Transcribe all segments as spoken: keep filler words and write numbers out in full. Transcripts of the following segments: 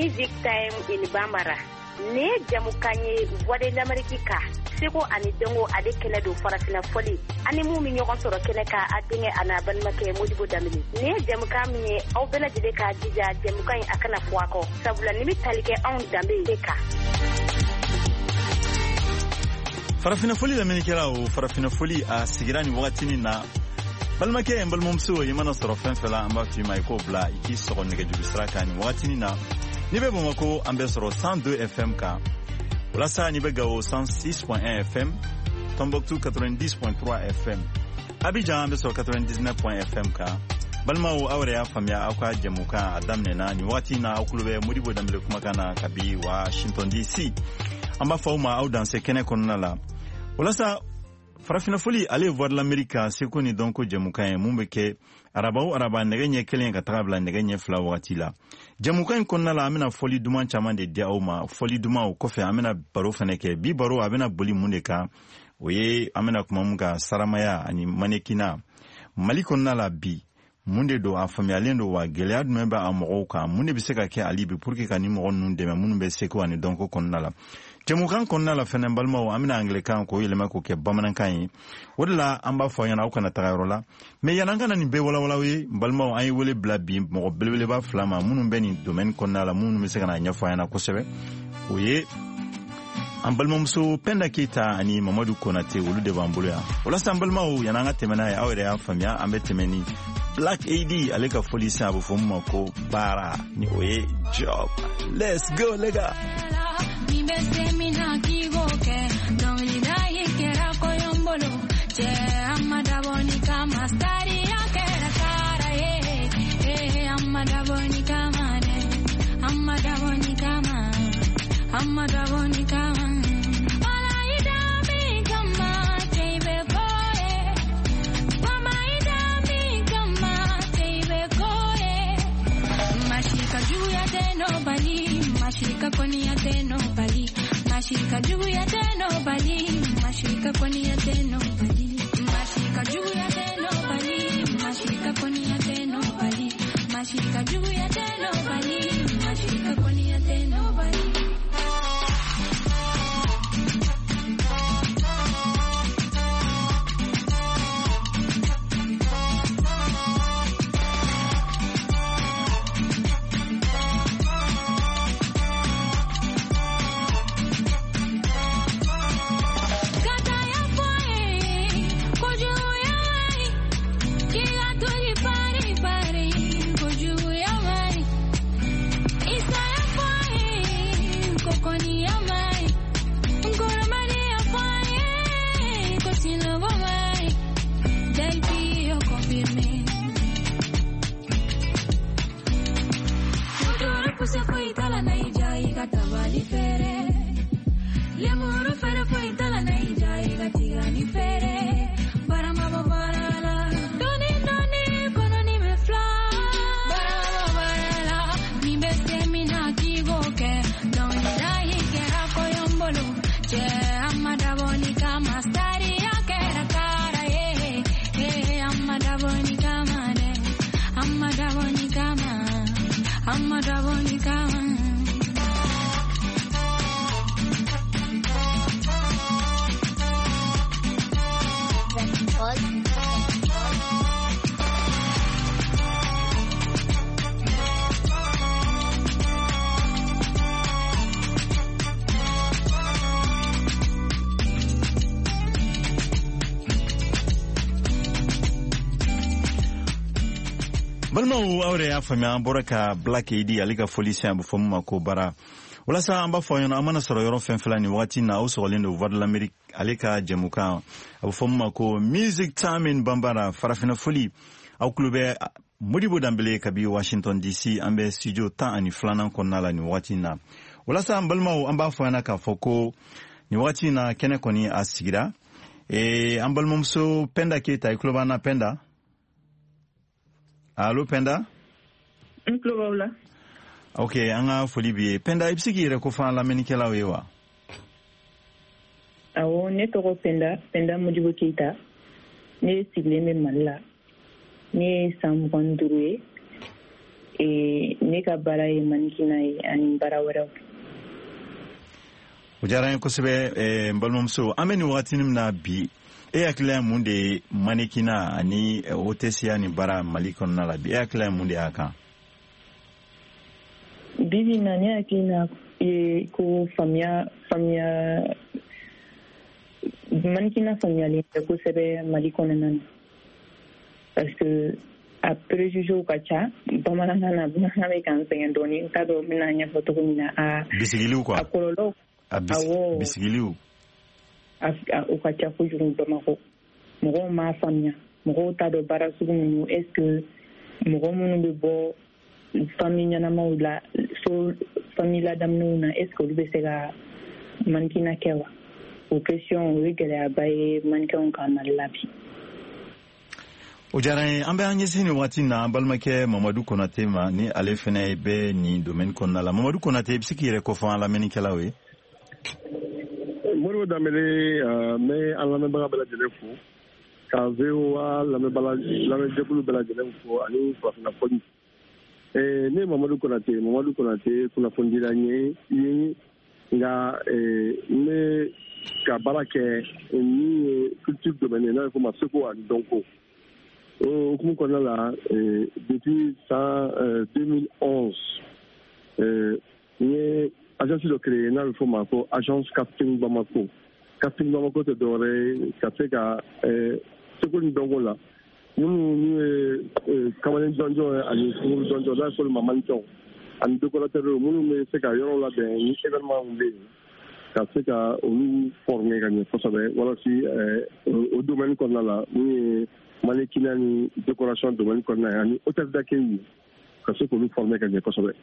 Music Time in Bambara. Nin ye jamukan ye Voix de l'Amérique kan, seko ani dɔnko ale kɛnɛ don, farafinna fɔli ani mun bɛ ɲɔgɔn sɔrɔ kɛnɛ kan, a denkɛ a n'a balimakɛ Modibo Danbele. Nin ye jamukan min ye, aw bɛɛ lajɛlen k'a jija jamukan in a kana fɔ a kɔ, sabula nin bɛ tali kɛ anw danbe de kan. Farafinna fɔli lamɛnnikɛlaw, farafinna fɔli a sigira nin wagatinin na. Balimakɛ, n balimamuso, i mana sɔrɔ fɛn fɛn la, an b'a f'i ma i k'o bila i k'i sɔgɔ nɛgɛjuru sira kan nin wagatinin na. N'i bɛ Bamako, an bɛ sɔrɔ cent deux F M kan. Walasa n'i bɛ Gawo, cent six point un F M, Tombouctou quatre-vingt-dix point trois F M, Abidjan an bɛ sɔrɔ quatre-vingt-dix-neuf F M kan. Balimaw, aw yɛrɛ y'a faamuya, aw ka jɛmukan a daminɛna nin wagati in na. Aw tulo bɛ Modibo Danbele kumakan na kabi Washington D C. An b'a fɔ aw ma aw danse kɛnɛ kɔnɔna la. Walasa farafinna fɔli, ale ye Voix de l'Amérique ka seko ni dɔnko jɛmukan ye mun bɛ kɛ araba o araba nɛgɛ ɲɛ kelen ka taga bila nɛgɛ ɲɛ fila wagati la. Jɛmukan in kɔnɔna la, an bɛna fɔli duman caman de di aw ma. Fɔli duman o kɔfɛ, an bɛna baro fɛnɛ kɛ. Bi baro a bɛna boli mun de kan? O ye an bɛna kuma mun kan, saramaya ani manekina Mali kɔnɔna la bi, mun de don, a faamuyalen don wa? Gɛlɛya jumɛn bɛ a mɔgɔw kan? Mun de bɛ se ka kɛ hali bi pour que ka ni mɔgɔ ninnu dɛmɛ minnu bɛ seko ani dɔnko kɔnɔna la? Jɛmukan kɔnɔna la fɛnɛ, balimaw, an bɛna angilɛkan k'o yɛlɛma k'o kɛ bamanankan ye. O de la an b'a fɔ aw ɲɛna aw kana taga yɔrɔ la. Mais yan'an ka na nin bɛɛ walawala ye, n balimaw, an ye wele bila bi mɔgɔ belebeleba fila ma minnu bɛ nin domaine kɔnɔna la, minnu bɛ se ka na ɲɛfɔ an ɲɛna kosɛbɛ. O ye an balimamuso Penda Keyita ani Mamadu Konate, olu de b'an bolo yan. Walasa an balimaw, yan'an ka tɛmɛ n'a ye, aw yɛrɛ y'a faamuya, an bɛ tɛmɛ ni Black A D ale ka fɔli sisan, a bɛ fɔ min ma ko baara, ni o ye job. Let's go, les gars. Ni bɛ se min na k'i k'o kɛ, dɔnkilida yi kɛra kɔɲɔ bolo, cɛ a ma dabɔ ni kama, sariya kɛra kara ye, eh, a ma dabɔ ni kama dɛ, a ma dabɔ ni kama, a ma dabɔ ni kama. Wala i da min kama, cɛ i bɛ ko ye. Mama i da min kama, cɛ i bɛ ko ye. Mashika juguya tɛ nobali, mashika kɔniya tɛ nobali, mashika juguya tɛ nobali, mashika kɔniya tɛ nobali, mashika juguya tɛ nobali, mashika kɔniya tɛ nobali, mashika juguya tɛ nobali, mashika kɔniya tɛ nobali. Kata ya fɔ ye, kojuguya man ɲi, k'i ka toli pari pari, kojuguya man ɲi. Isa ya fɔ ye, ko kɔniya man ɲi, Nkoromani ya fɔ ye, ko sinɔgɔ man ɲi. Delphi yo confirmé. Motoro puse foyi t'a la na i ja i ka tabali feere. Lemuru feere foyi t'a la na i ja i ka tigani feere. Barama bɔ baara la. Dɔɔni dɔɔni kɔnɔni bɛ fila. Barama bɔ baara la. Nin bɛ se min na k'i k'o kɛ. Dɔnkilida yi kɛra kɔɲɔ bolo. Cɛ a ma dabɔ ni kama. Sariya kɛra kara ye. Eh, a ma dabɔ ni kama dɛ. A ma dabɔ ni kama. A ma dabɔ ni kama. Balimaw, aw yɛrɛ y'a faamuya, an bɔra ka Black A D ale ka fɔli sisan, a bɛ fɔ min ma ko baara. Walasa an b'a fɔ aw ɲɛna, an mana sɔrɔ yɔrɔ fɛn fɛn la nin wagati in na, aw sɔgɔlen don Voix de l'Amérique ale ka jɛmukan, a bɛ fɔ min ma ko Music Time in Bambara, farafinna fɔli. Aw tulo bɛ Modibo Danbele kabi Washington D C. An bɛ studio tan ani filanan kɔnɔna la nin wagati in na. Walasa an balimaw, an b'a fɔ ɲɛna k'a fɔ ko nin wagati in na, kɛnɛ kɔni a sigira. Ee, an balimamuso Penda Keyita, i tulo b'an na, Penda? Allo, Penda? N tulo b'aw la. Ok, an ka foli b'i ye, Penda. I bɛ se k'i yɛrɛ kofɔ an lamɛnnikɛlaw ye wa? Awɔ, ne tɔgɔ Penda, Penda Modibo Keyita. Ne sigilen bɛ Mali la. Ne ye san mugan ni duuru ye. Ee, Ne ka baara ye mannequinat ye ani baara wɛrɛw. O diyara n ye kosɛbɛ, n balimamuso. An bɛ nin wagati min na bi, e hakilila ye mun de ye mannequinat ani hôtesseya ni baara Mali kɔnɔna la bi? E hakilila ye mun de y'a kan? Bi bi in na, ne hakilina ye ko faamuya faamuya mannequinat faamuyalen tɛ kosɛbɛ Mali kɔnɔna na, parce que a préjugés ka ca. Bamanankan na, bamanankan bɛ k'an sɛgɛn dɔɔni, n t'a dɔn n bɛna ɲɛfɔ cogo min na. A bisigiliw quoi. A kɔlɔlɔ. A bisigiliw. O ka ca kojugu Bamakɔ. Mɔgɔw m'a faamuya, mɔgɔw t'a dɔn baara sugu minnu. Est ce que mɔgɔ minnu bɛ bɔ famille ɲɛnamaw la, so famille ladamunenw na, est ce que olu bɛ se ka mannequinat kɛ wa? O question, o ye gɛlɛyaba ye mannequinw kan Mali la bi. O diyara n ye. An bɛ an ɲɛsin nin waati na an balimakɛ Mamadu Konate ma, ni ale fɛnɛ bɛ nin domaine kɔnɔna la. Mamadu Konate, i bɛ se k'i yɛrɛ kofɔ an lamɛnnikɛlaw ye? Modibo Danbele, n bɛ an lamɛnbaga bɛɛ lajɛlen fo, ka V O A lamɛnbaga lamɛnjɛkulu bɛɛ lajɛlen fo ani farafinna fɔli. Ne ye Mamadu Konate, Mamadu Konate kunnafonidila ye ye, nka n bɛ ka baara kɛ min ye culture domaine ye, n'a bɛ f'o ma seko ani dɔnko. O hukumu kɔnɔna la, depuis san deux mille onze, n ye agence dɔ créé n'a bɛ f'o ma ko agence Casting Bamako. Casting Bamako tɛ dɔwɛrɛ ye ka se ka seko ni dɔnko la, minnu n'u ye kamalen jɔnjɔn ye ani sunkuru jɔnjɔn, n'a bɛ f'olu ma mannequin ani décorateur, minnu bɛ se ka yɔrɔw labɛn ni événement bɛ yen, ka se ka olu former ka ɲɛ kosɛbɛ, walasa o domaine kɔnɔna la, min ye mannequinat ni décoration domaine kɔnɔna ye ani hôtel d'accueil, ka se k'olu former ka ɲɛ kosɛbɛ.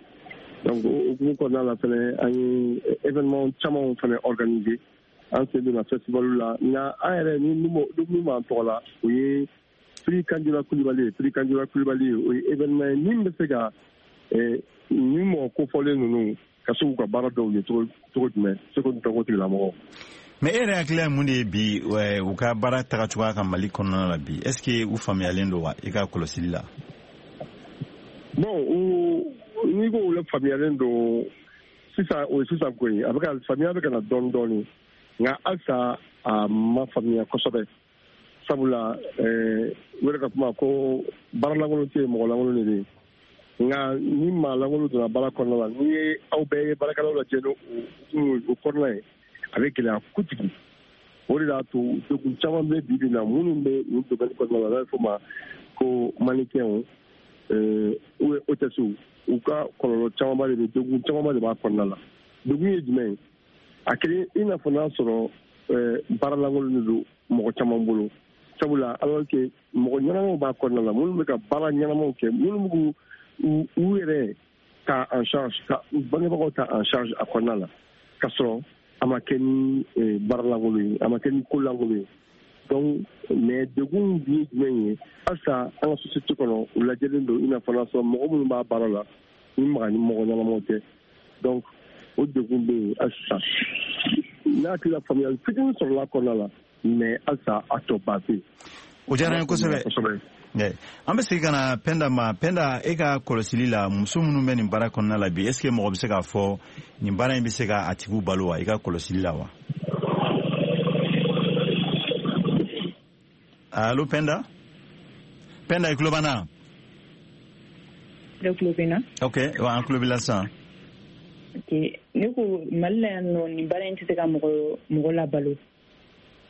Donc o hukumu kɔnɔna la fɛnɛ, an ye événement camanw fɛnɛ organiser, an sen donna festival la. Nka an yɛrɛ ni min b'an tɔgɔ la, o ye Prix Kanjura Kulibali ye. Prix Kanjura Kulibali ye, o ye événement ye min bɛ se ka nin mɔgɔ kofɔlen ninnu ka se k'u ka baara dɔw ye cogo jumɛn, seko ni dɔnko tigilamɔgɔw. Mais e yɛrɛ hakilila ye mun de ye bi, u ka baara taga cogoya kan Mali kɔnɔna la bi? Est ce que u faamuyalen don wa, i ka kɔlɔsili la? Bon, u n'i ko u faamuyalen don sisan, o ye sisan ko ye. A bɛ ka faamuya bɛ ka na dɔɔni dɔɔni, nka halisa a ma faamuya kosɛbɛ, sabula u yɛrɛ ka kuma ko baara lankolon tɛ yen, mɔgɔ lankolon de bɛ yen. Nka ni maa lankolon donna baara kɔnɔna la, n'i ye aw bɛɛ ye baarakɛlaw lajɛ n'o o kɔnɔna ye, a bɛ gɛlɛya kojugu. O de y'a to degun caman bɛ bi bi in na, minnu bɛ nin domaine kɔnɔna la, n'a bɛ f'o ma ko mannequinw ou bien hôtesses, u ka kɔlɔlɔ camanba de bɛ, degun camanba de b'a kɔnɔna la. Degun ye jumɛn ye? A kelen i n'a fɔ n'a sɔrɔ baara lankolon de don mɔgɔ caman bolo, sabula alors que mɔgɔ ɲɛnamaw b'a kɔnɔna la, minnu bɛ ka baara ɲɛnamaw kɛ, minnu b'u u yɛrɛ ta en charge, ka u bangebagaw ta en charge a kɔnɔna la, ka sɔrɔ a ma kɛ ni baara lankolon ye, a ma kɛ ni ko lankolon ye. Donc mais degun ye jumɛn ye? Halisa an ka société kɔnɔ, u lajɛlen don i n'a fɔ n'a sɔrɔ mɔgɔ minnu b'a baara la, ni maga ni mɔgɔ ɲɛnamaw tɛ. Donc o degun bɛ yen halisa. N'a hakili la, faamuyali fitinin sɔrɔla a kɔnɔna la, mais halisa a tɔ ba tɛ yen. O diyara n ye kosɛbɛ. An bɛ segin ka na Pɛnda ma. Pɛnda, e ka kɔlɔsili la, muso minnu bɛ nin baara kɔnɔna la bi, est ce que mɔgɔ bɛ se k'a fɔ nin baara in bɛ se ka a tigiw balo wa, i ka kɔlɔsili la wa? Allo Pɛnda, Pɛnda, i tulo b'an na? Ne tulo bɛ na. Ok, wa an tulo b'i la sisan. Ok, ne ko Mali la yan nɔ, nin baara in tɛ se ka mɔgɔ mɔgɔ labalo,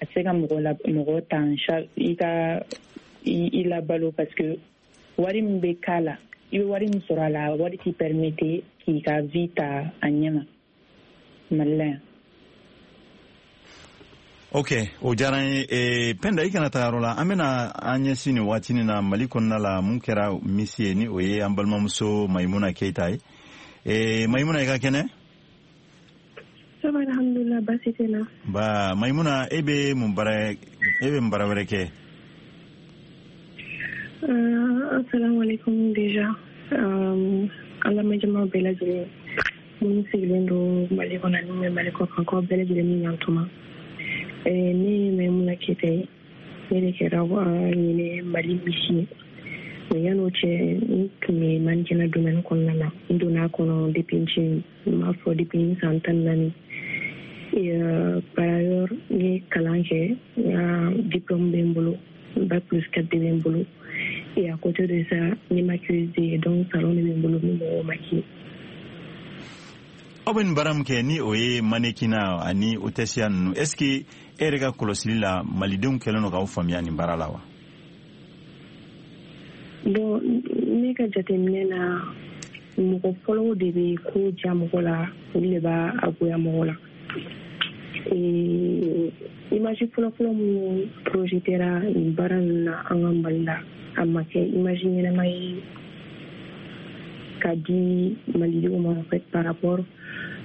a tɛ se ka mɔgɔ la mɔgɔ ta en charge, i ka i labalo, parce que wari min bɛ k'a la, i bɛ wari min sɔrɔ a la, wari t'i permettre k'i ka vie ta a ɲɛ ma Mali la yan. Ok, o diyara n ye. e, pɛnda, i kana taa yɔrɔ la. An bɛna an ɲɛsin nin waatinin na Mali kɔnɔna la, mun kɛra misi ye, ni o ye an balimamuso Mayimuna Keyita ye. e, mayimuna i ka kɛnɛ? Ça va, alhamdulillah, baasi tɛ na. Ba Mayimuna, e bɛ mun baara, e bɛ mun baara wɛrɛ kɛ? Uh, assalamu alaikum déjà. Um, an lamɛnjama bɛɛ lajɛlen minnu sigilen don Mali kɔnɔ ani bɛ Mali kɔ kan, k'aw bɛɛ lajɛlen ni ɲantuma. Eh, ne ye Maimuna Keyita ye, ne de kɛra ɲinɛ Mali misi ye. Mais yan'o cɛ, n tun bɛ mannequinat domaine kɔnɔna na. N donna a kɔnɔ depuis n ci, n b'a fɔ depuis n san tan ni naani. Et euh, par ailleurs, n ye kalan kɛ, n ka diplôme bɛ n bolo, bac plus quatre de bɛ n bolo. Et à côté de ça, n ye maquilleuse de ye, donc salon de bɛ n bolo, n bɛ mɔgɔw maquiller. Aw bɛ nin baara min kɛ, ni o ye mannequinat ani hôtesse ninnu, est ce que e yɛrɛ ka kɔlɔsili la, malidenw kɛlen don k'aw faamuya nin baara la wa? Bon, ne ka jateminɛ na, mɔgɔ fɔlɔw de bɛ ko diya mɔgɔ la, olu de b'a a goya mɔgɔ la. Et image fɔlɔfɔlɔ minnu projetera nin baara ninnu na an ka Mali la, a ma kɛ image ɲɛnama ye ka di malidenw ma, en fait, par rapport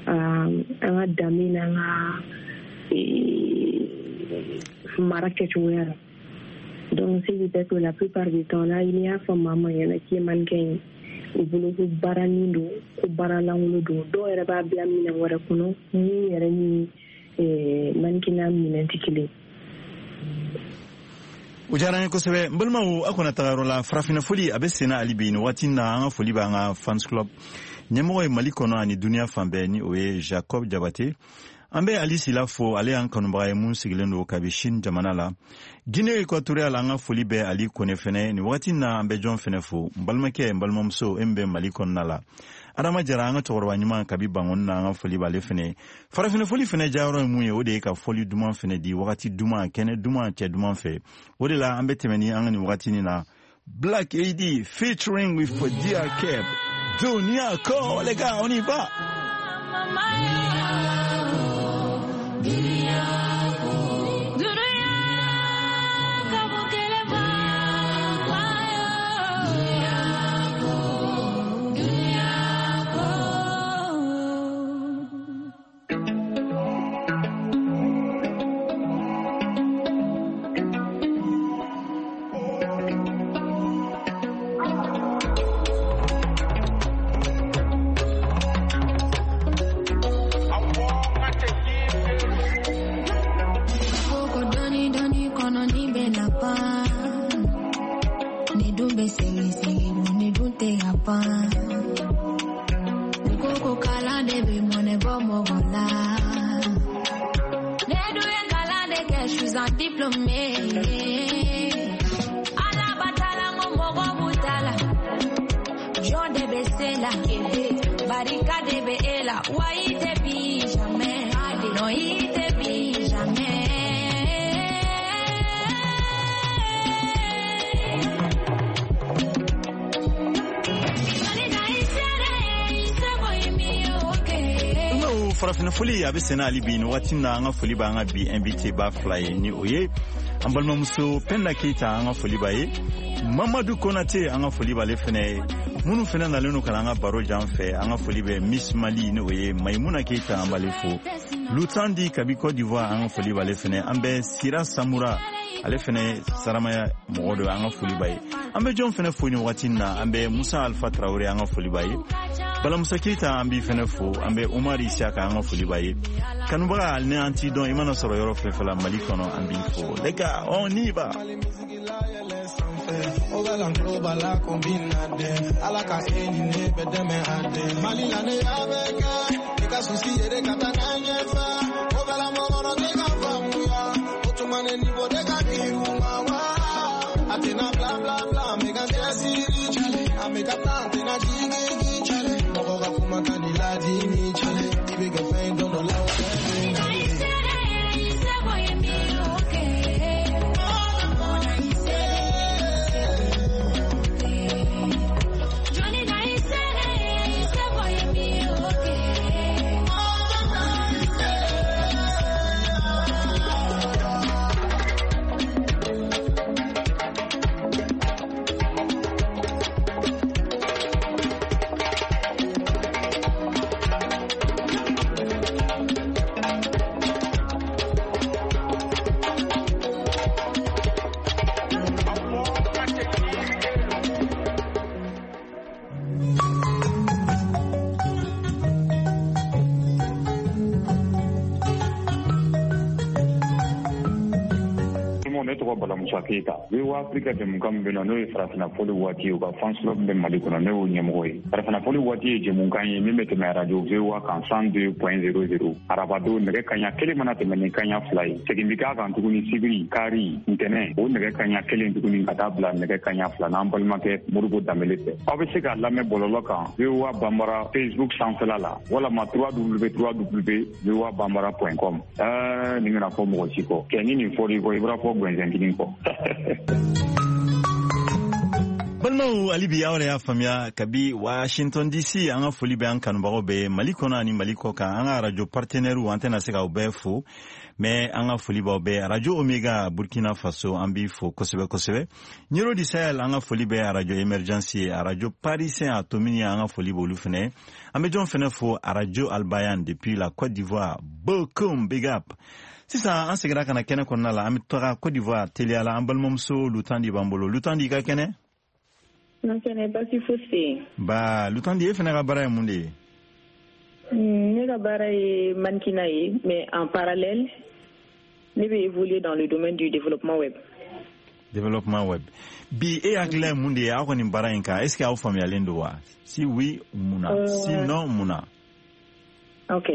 à an ka danbe n'an ka mara kɛcogoya la. Donc ce qui fait que la plupart du temps, n'a n'i y'a fɔ maa ma ɲɛna k'i ye mannequin ye, u bolo ko baaranin don, ko baara lankolon don. Dɔw yɛrɛ b'a bila minɛn wɛrɛ kɔnɔ min yɛrɛ ni mannequinat minɛn tɛ kelen. O diyara n ye kosɛbɛ. N balimaw, aw kana taga yɔrɔ la, farafinna foli a bɛ senna hali bi nin waati na. An ka foli b'an ka fans club ɲɛmɔgɔ ye Mali kɔnɔ ani duniya fan bɛɛ, ni o ye Jacob Jabate. An bɛ Ali Sila fo, ale y'an kanubaga ye mun sigilen don kabi Chine jamana la, Guinée équatoriale. An ka foli bɛ Ali Kone fɛnɛ nin waati na. An bɛ jɔn fɛnɛ fo? N balimakɛ, n balimamuso, e min bɛ Mali kɔnɔna la, Adama Jara, an ka cɛkɔrɔba ɲuman kabi Bangɔni na, an ka foli b'ale fɛnɛ. Farafinna foli fɛnɛ jayɔrɔ ye mun ye? O de ye ka fɔli duman fɛnɛ di wagati duman, kɛnɛ duman, cɛ duman fɛ. O de la an bɛ tɛmɛ ni an ka nin wagati nin na, Black A D featuring with D R Keb, Dunia Ko. Les gars, on y va. Farafinna foli a bɛ senna hali bi nin waati na. An ka foli b'an ka bi invité ba fila ye, ni o ye an balimamuso Penda Keyita, an ka foli b'a ye, Mamadu Konate, an ka foli b'ale fɛnɛ ye. Minnu fɛnɛ nalen don ka na an ka baro jan fɛ, an ka foli bɛ Miss Mali, ni o ye Maimuna Keyita, an b'ale fo. Lutandi kabi Côte d'Ivoire, an ka foli b'ale fɛnɛ. An bɛ Sira Samura, ale fɛnɛ Saramaya mɔgɔ dɔ, an ka foli b'a ye. An bɛ jɔn fɛnɛ fo nin waati na? An bɛ Musa Alpha Traoré, an ka foli b'a ye. Balamusa Keyita, an b'i fɛnɛ fo. An bɛ Umar Isiaka, an ka foli b'a ye. Kanubaga, ni an t'i dɔn, i mana sɔrɔ yɔrɔ fɛn fɛn la Mali kɔnɔ, an b'i fo. Les gars, on y va. Bala kombina den ala ka e ni ne bɛ dɛmɛ a den Mali la ne y'a bɛɛ kɛ i ka souci yɛrɛ ka taa n'a ɲɛfɛ o bɛɛ la mɔgɔ tɛ ka faamuya o tuma ne niveau de ka girin u ma wa a tɛna bla bla bla n bɛ ka cɛsiri cale an bɛ ka taa n tɛna jigin cale mɔgɔ ka kuma ka ni ladimi cale i bɛ kɛ fɛn dɔ dɔ la o bɛɛ bɛ na. Ne tɔgɔ Bala Musa Keyita. V O A Afrique jɛmukan min bɛ yen nɔ, n'o ye farafinna fɔli waati ye, u ka fans club bɛ Mali kɔnɔ, ne y'o ɲɛmɔgɔ ye. Farafinna fɔli waati ye jɛmukan ye min bɛ tɛmɛ radio V O A kan cent deux point zéro zéro. Arabadon nɛgɛ kanɲɛ kelen mana tɛmɛ ni kanɲɛ fila ye. Segin bɛ k'a kan tuguni sibiri, kari, ntɛnɛn, o nɛgɛ kanɲɛ kelen tuguni ka taa bila nɛgɛ kanɲɛ fila n'an balimakɛ Modibo Danbele fɛ. Aw bɛ se k'a lamɛn bɔlɔlɔ kan V O A Bambara Facebook sanfɛla la walama w w w point v o a bambara point com. Ɛɛ nin kana fɔ mɔgɔ si kɔ. Kɛ ni nin fɔr'i kɔ, i bɔra fɔ gɛnzɛn kelen kɔ. Balimaw, hali bi aw yɛrɛ y'a faamuya kabi Washington D C, an ka foli bɛ an kanubagaw bɛɛ Mali kɔnɔ ani Mali kɔ kan. An ka radio partenaires, an tɛna se k'aw bɛɛ fo, mais an ka foli b'aw bɛɛ. Radio Omega Burkina Faso, an b'i fo kosɛbɛ kosɛbɛ. Ɲero di Sahel, an ka foli bɛ radio Emergence ye. Radio Parisien a Tomini, an ka foli b'olu fɛnɛ. An bɛ jɔn fɛnɛ fo? Radio Albayan depuis la Côte d'Ivoire, Bokum, big up. Sisan an seginna ka na kɛnɛ kɔnɔna la, an bɛ taga Côte d'Ivoire teliya la. An balimamuso Lutandi b'an bolo. Lutandi, i ka kɛnɛ? N kɛnɛ, basi fosi tɛ yen. Ba Lutandi, e fɛnɛ ka baara ye mun de ye? Ne ka baara ye mannequinat ye, mais en parallèle ne bɛ évoluer dans le domaine du développement web. Développement web. Bi e hakilina ye mun de ye aw ka nin baara in kan? Est ce que aw faamuyalen don wa? Si oui, mun na? Euh... Si non, mun na? Ok,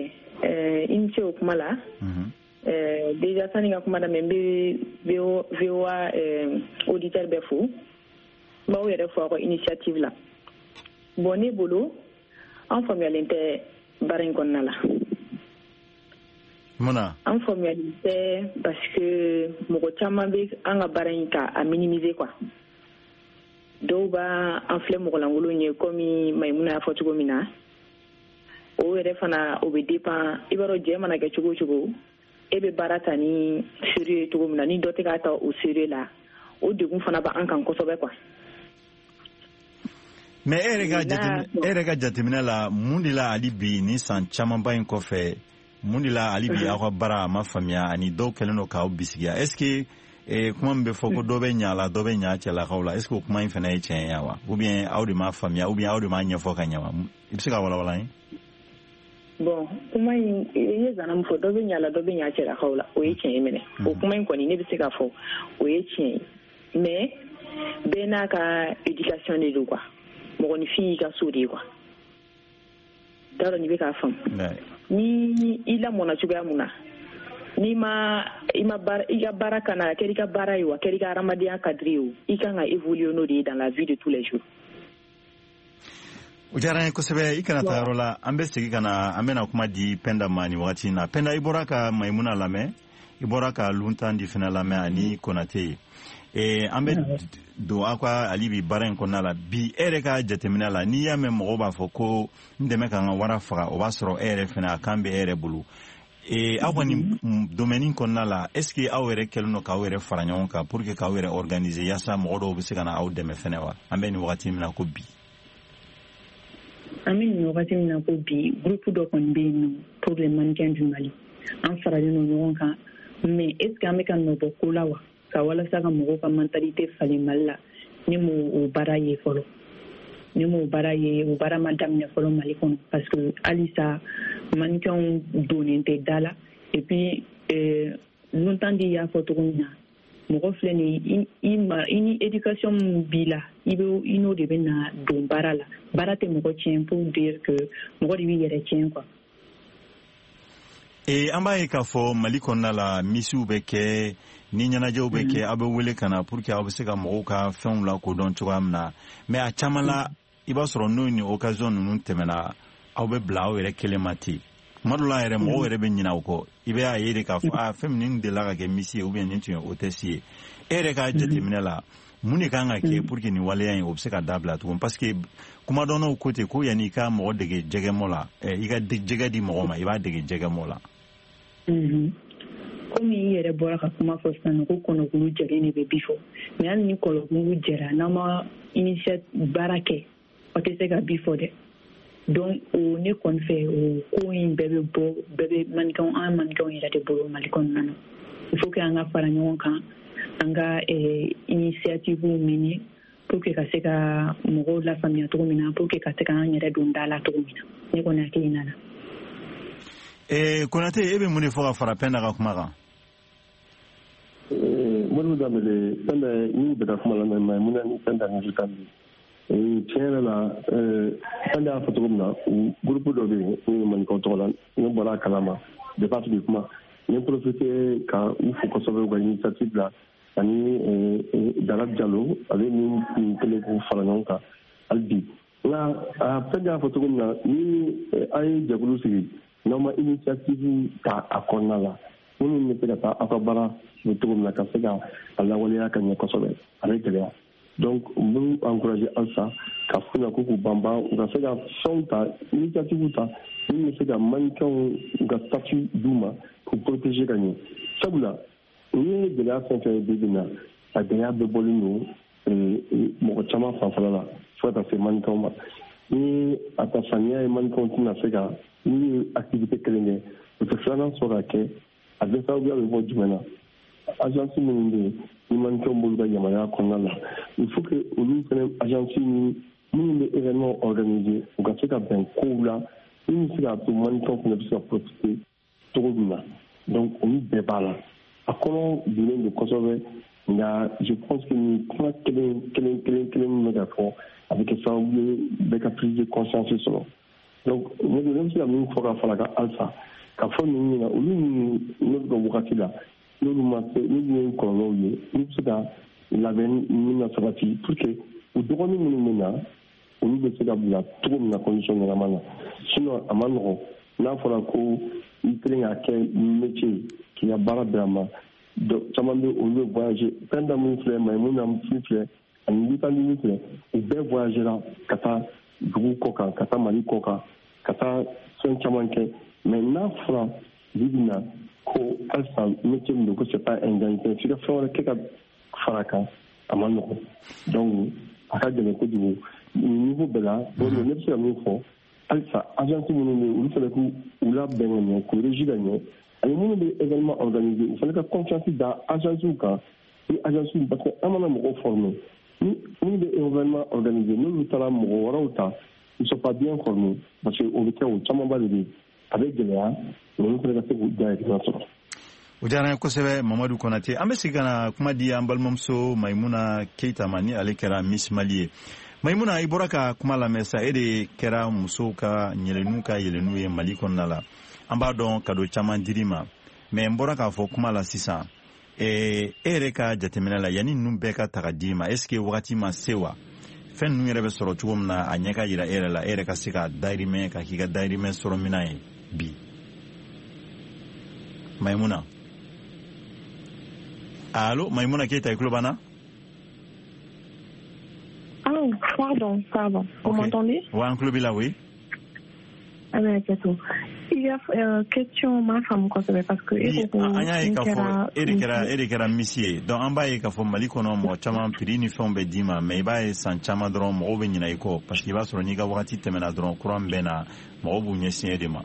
euh, i ni ce o kuma la. Mm -hmm. euh, déjà sani ka kuma daminɛ, n bɛ V O A euh, auditeur bɛɛ fo. N b'aw yɛrɛ fo aw ka initiative la. Bon, ne bolo, an faamuyalen tɛ baara in kɔnɔna la. Mun na? An faamuyalen tɛ parce que mɔgɔ caman bɛ an ka baara in ka a minimiser quoi. Dɔw b'a an filɛ mɔgɔlankolon ye, komi Mayimuna y'a fɔ cogo min na. O yɛrɛ fana, o bɛ dépend. I b'a dɔn, jɛ mana kɛ cogo o cogo, e bɛ baara ta ni sérieux ye cogo min na, ni dɔ tɛ k'a ta o sérieux la, o degun fana b'an kan kosɛbɛ quoi. Mais e yɛrɛ ka jateminɛ, e yɛrɛ ka jateminɛ la, mun de la hali bi ni san camanba in kɔfɛ, mun de la hali bi aw ka baara a ma faamuya ani dɔw kɛlen don k'aw bisigiya? Est ce que eh, kuma min bɛ fɔ ko dɔ bɛ ɲa la, dɔ bɛ ɲa cɛlakaw la, est ce que o kuma in fana ye tiɲɛ ye wa? Ou bien aw de m'a faamuya, ou bien aw de m'a ɲɛfɔ ka ɲɛ wa? I bɛ se ka walawala an ye? Bon, kuma in, i ye zana min fɔ, dɔ bɛ ɲa la, dɔ bɛ ɲa cɛlakaw la, o ye tiɲɛ ye minɛ. O kuma in kɔni, ne bɛ se k'a fɔ o ye tiɲɛ ye, mais bɛɛ n'a ka éducation de don quoi. Mɔgɔninfin y'i ka so de ye quoi. T'a dɔn n'i bɛ k'a faamu. Ni i lamɔnna cogoya mun na, n'i ma i ma baara, i ka baara kana a kɛra i ka baara ye o, a kɛra i ka hadamadenya cadre ye o, i kan ka évoluer n'o de ye dans la vie de tous les jours. O diyara n ye kosɛbɛ. I kana taa yɔrɔ la, an bɛ segin ka na, an bɛna kuma di Penda ma nin wagati in na. Penda, i bɔra ka Mayimuna lamɛn, i bɔra ka Luntandi fana lamɛn ani Konate ye. Eh, an bɛ don aw ka hali bi baara in kɔnɔna la. Bi e yɛrɛ ka jateminɛ la, n'i y'a mɛn mɔgɔw b'a fɔ ko n dɛmɛ ka n ka wara faga, o b'a sɔrɔ e yɛrɛ fana a kan bɛ e yɛrɛ bolo. Eh, aw ka nin domaine kɔnɔna la, est ce que aw yɛrɛ kɛlen don k'aw yɛrɛ fara ɲɔgɔn kan pour que k'aw yɛrɛ organiser yaasa mɔgɔ dɔw bɛ se ka na aw dɛmɛ fɛnɛ wa? An bɛ nin wagati min na ko bi. An bɛ nin wagati min na ko bi, groupe dɔ kɔni bɛ yen nɔ pour les mannequins du Mali. An faralen don ɲɔgɔn kan, mais est ce que an bɛ ka nɔ bɔ ko la wa? Ka walasa ka mɔgɔw ka mentalité falen Mali la, ne m'o o baara ye fɔlɔ. Ne m'o baara ye, o baara ma daminɛ fɔlɔ Mali kɔnɔ, parce que halisa mannequinw donnen tɛ da la. Et puis euh, Luntandi y'a fɔ cogo min na, mɔgɔ filɛ nin ye, i ma i ni éducation min b'i la, i bɛ i n'o de bɛ na don baara la. Baara tɛ mɔgɔ tiɲɛ, pour dire que mɔgɔ de b'i yɛrɛ tiɲɛ quoi. E, an b'a ye k'a fɔ Mali kɔnɔna la, misiw bɛ kɛ ni ɲɛnajɛw bɛ kɛ, aw bɛ wele ka na pour que aw bɛ se ka mɔgɔw ka fɛnw lakodɔn cogoya min na. Mais a caman la, i b'a sɔrɔ n'o ni occasion ninnu tɛmɛna, aw bɛ bila aw yɛrɛ kelen ma ten. Tuma dɔ la yɛrɛ, mɔgɔw yɛrɛ bɛ ɲinɛ aw kɔ. I bɛ a ye de k'a fɔ a fɛn min delila ka kɛ misi ye, ou bien nin tun ye hôtesse ye. E yɛrɛ ka jateminɛ la, mun de kan ka kɛ pour que nin waleya in o bɛ se ka dabila tugun? Parce que kumadɔnnaw ko ten ko yanni i ka mɔgɔ dege jɛgɛmɔ la, i ka jɛgɛ di mɔgɔ ma, i b'a dege jɛgɛmɔ la. Komi i yɛrɛ bɔra ka kuma fɔ sisan ko kɔnɔkulu jɛlen de bɛ bi fɔ, mais hali ni kɔnɔkulu jɛra, n'aw ma initiative baara kɛ, aw tɛ se ka bi fɔ dɛ. Donc o ne kɔni fɛ, o ko in bɛɛ bɛ bɔ, bɛɛ bɛ mannequin, an mannequinw yɛrɛ de bolo Mali kɔnɔna na. Il faut que an ka fara ɲɔgɔn kan, an ka initiative mener pour que ka se ka mɔgɔw lafaamuya cogo min na, pour que ka se k'an yɛrɛ don da la cogo min na. Ne kɔni hakilina na. Eh, Konate, e bɛ mun de fɔ ka fara Penda ka kuma kan? Modibo Dembélé, fɛn bɛɛ n'u bɛ ka kuma lamɛn Maïmouna ni fɛn da ni kan bi tiɲɛ yɛrɛ la, fɛn y'a fɔ cogo min na, u groupe dɔ bɛ yen n'u ye maninkaw tɔgɔ la, ne bɔra a kalama depuis a tigi kuma. N ye profité ka u fo kosɛbɛ u ka initiative la, ani Dara Jalo ale ni kun kelen k'u fara ɲɔgɔn kan hali bi. Nka fɛn y'a fɔ cogo min na, ni a ye jɛkulu sigi, n'aw ma initiative ta a kɔnɔna la, minnu bɛ se ka taa aw ka baara bɛ cogo min na ka se ka a lawaleya ka ɲɛ kosɛbɛ, a bɛ gɛlɛya. Donc n b'u encourager halisa ka f'u ɲɛna ko k'u banban, u ka se ka fɛnw ta, initiative ta min bɛ se ka mannequinw u ka statut d'u ma k'u protéger ka ɲɛ. Sabula n'i ye gɛlɛya fɛn fɛn ye bi bi in na, a gɛlɛya bɛɛ bɔlen don mɔgɔ caman fanfɛla la fo ka taa se mannequinw ma. Ni a ta samiya ye, mannequinw tɛna se ka n'u ye activité kelen kɛ, u tɛ filanan sɔrɔ ka kɛ. A bɛ sababuya bɛ bɔ jumɛn na? Agence minnu bɛ yen ni mannequinw b'olu ka yamaruya kɔnɔna la, il faut que olu fana agence ni minnu bɛ événement organiser, u ka se ka bɛn kow la min bɛ se k'a to mannequinw fana bɛ se ka profiter cogo min na. Donc olu bɛɛ b'a la, a kɔnɔ bilen don kosɛbɛ. Nka je pense que nin kuma kelen kelen kelen kelen min bɛ ka fɔ, a bɛ kɛ sababu ye bɛɛ ka prise de conscience sɔrɔ. Donc ne bɛ se ka min fɔ ka fara kan halisa, ka fɔ ninnu ɲɛna, olu minnu n'olu ka wagati la n'olu ma se, n'olu ye kɔlɔlɔw ye, olu bɛ se ka labɛn min na sabati pour que u dɔgɔnin minnu bɛ na, olu bɛ se ka bila cogo min na condition ɲɛnama na. Sinon a ma nɔgɔn, n'a fɔra ko i kelen k'a kɛ métier k'i ka baara bɛn a ma, caman bɛ olu bɛ voyager. Fɛn da min filɛ, Maïmouna min filɛ ani Lutandi min filɛ, u bɛɛ voyagera ka taa dugu kɔ kan, ka taa Mali kɔ kan, ka taa fɛn caman kɛ. Mais n'a fɔra bi bi na ko halisa métier min don, ko c'est pas un gagne-pain, f'i ka fɛn wɛrɛ kɛ ka fara kan, a ma nɔgɔn. Donc a ka gɛlɛn kojugu nin niveau bɛɛ la. Ne bɛ se ka min fɔ halisa, agence minnu bɛ yen, olu fana k'u labɛn ka ɲɛ, k'u régie ka ɲɛ, ani minnu bɛ événement organiser, u fana ka confiance da agences kan. Ni agence, parce que an mana mɔgɔw former, ni minnu bɛ événement organiser, n'olu taara mɔgɔ wɛrɛw ta, ils sont pas bien formés, parce que o bɛ kɛ, o camanba de bɛ yen, a bɛ gɛlɛya olu fana ka se k'u dahirimɛ sɔrɔ. O diyara n ye kosɛbɛ, Mamadu Konate. An bɛ segin ka na kuma di an balimamuso Maïmouna Keita ma, ni ale kɛra Miss Mali ye. Maïmouna, i bɔra ka kuma lamɛn sa, e de kɛra musow ka ɲɛlɛnnu ka yɛlɛnnu ye Mali kɔnɔna la. An b'a dɔn cadeau caman dir'i ma, mais n bɔra k'a fɔ kuma la sisan, e yɛrɛ ka jateminɛ la, yanni ninnu bɛɛ ka ta ka d'i ma, est ce que wagati ma se wa? Fɛn ninnu yɛrɛ bɛ sɔrɔ cogo min na, a ɲɛ ka yira e yɛrɛ la, e yɛrɛ ka se ka dahirimɛ ka k'i ka dahirimɛ sɔrɔ minan ye bi. Maïmouna, allo, Maïmouna Keita, i tulo b'an na? Oh, pardon, pardon. Vous okay. m'entendez? Ouais, an tulo b'i la, oui. Ah ben, c'est Il y a euh, question ma femme kosɛbɛ parce que e ko an y'a ye k'a fɔ e de kɛra e de kɛra Miss ye. Donc an b'a ye k'a fɔ Mali kɔnɔ, mɔgɔ caman prix ni fɛnw bɛ d'i ma, mais i b'a ye san caman dɔrɔn mɔgɔw bɛ ɲinɛ i kɔ, parce que i b'a sɔrɔ n'i ka wagati tɛmɛna dɔrɔn, courant bɛ na, mɔgɔw b'u ɲɛsin e de ma.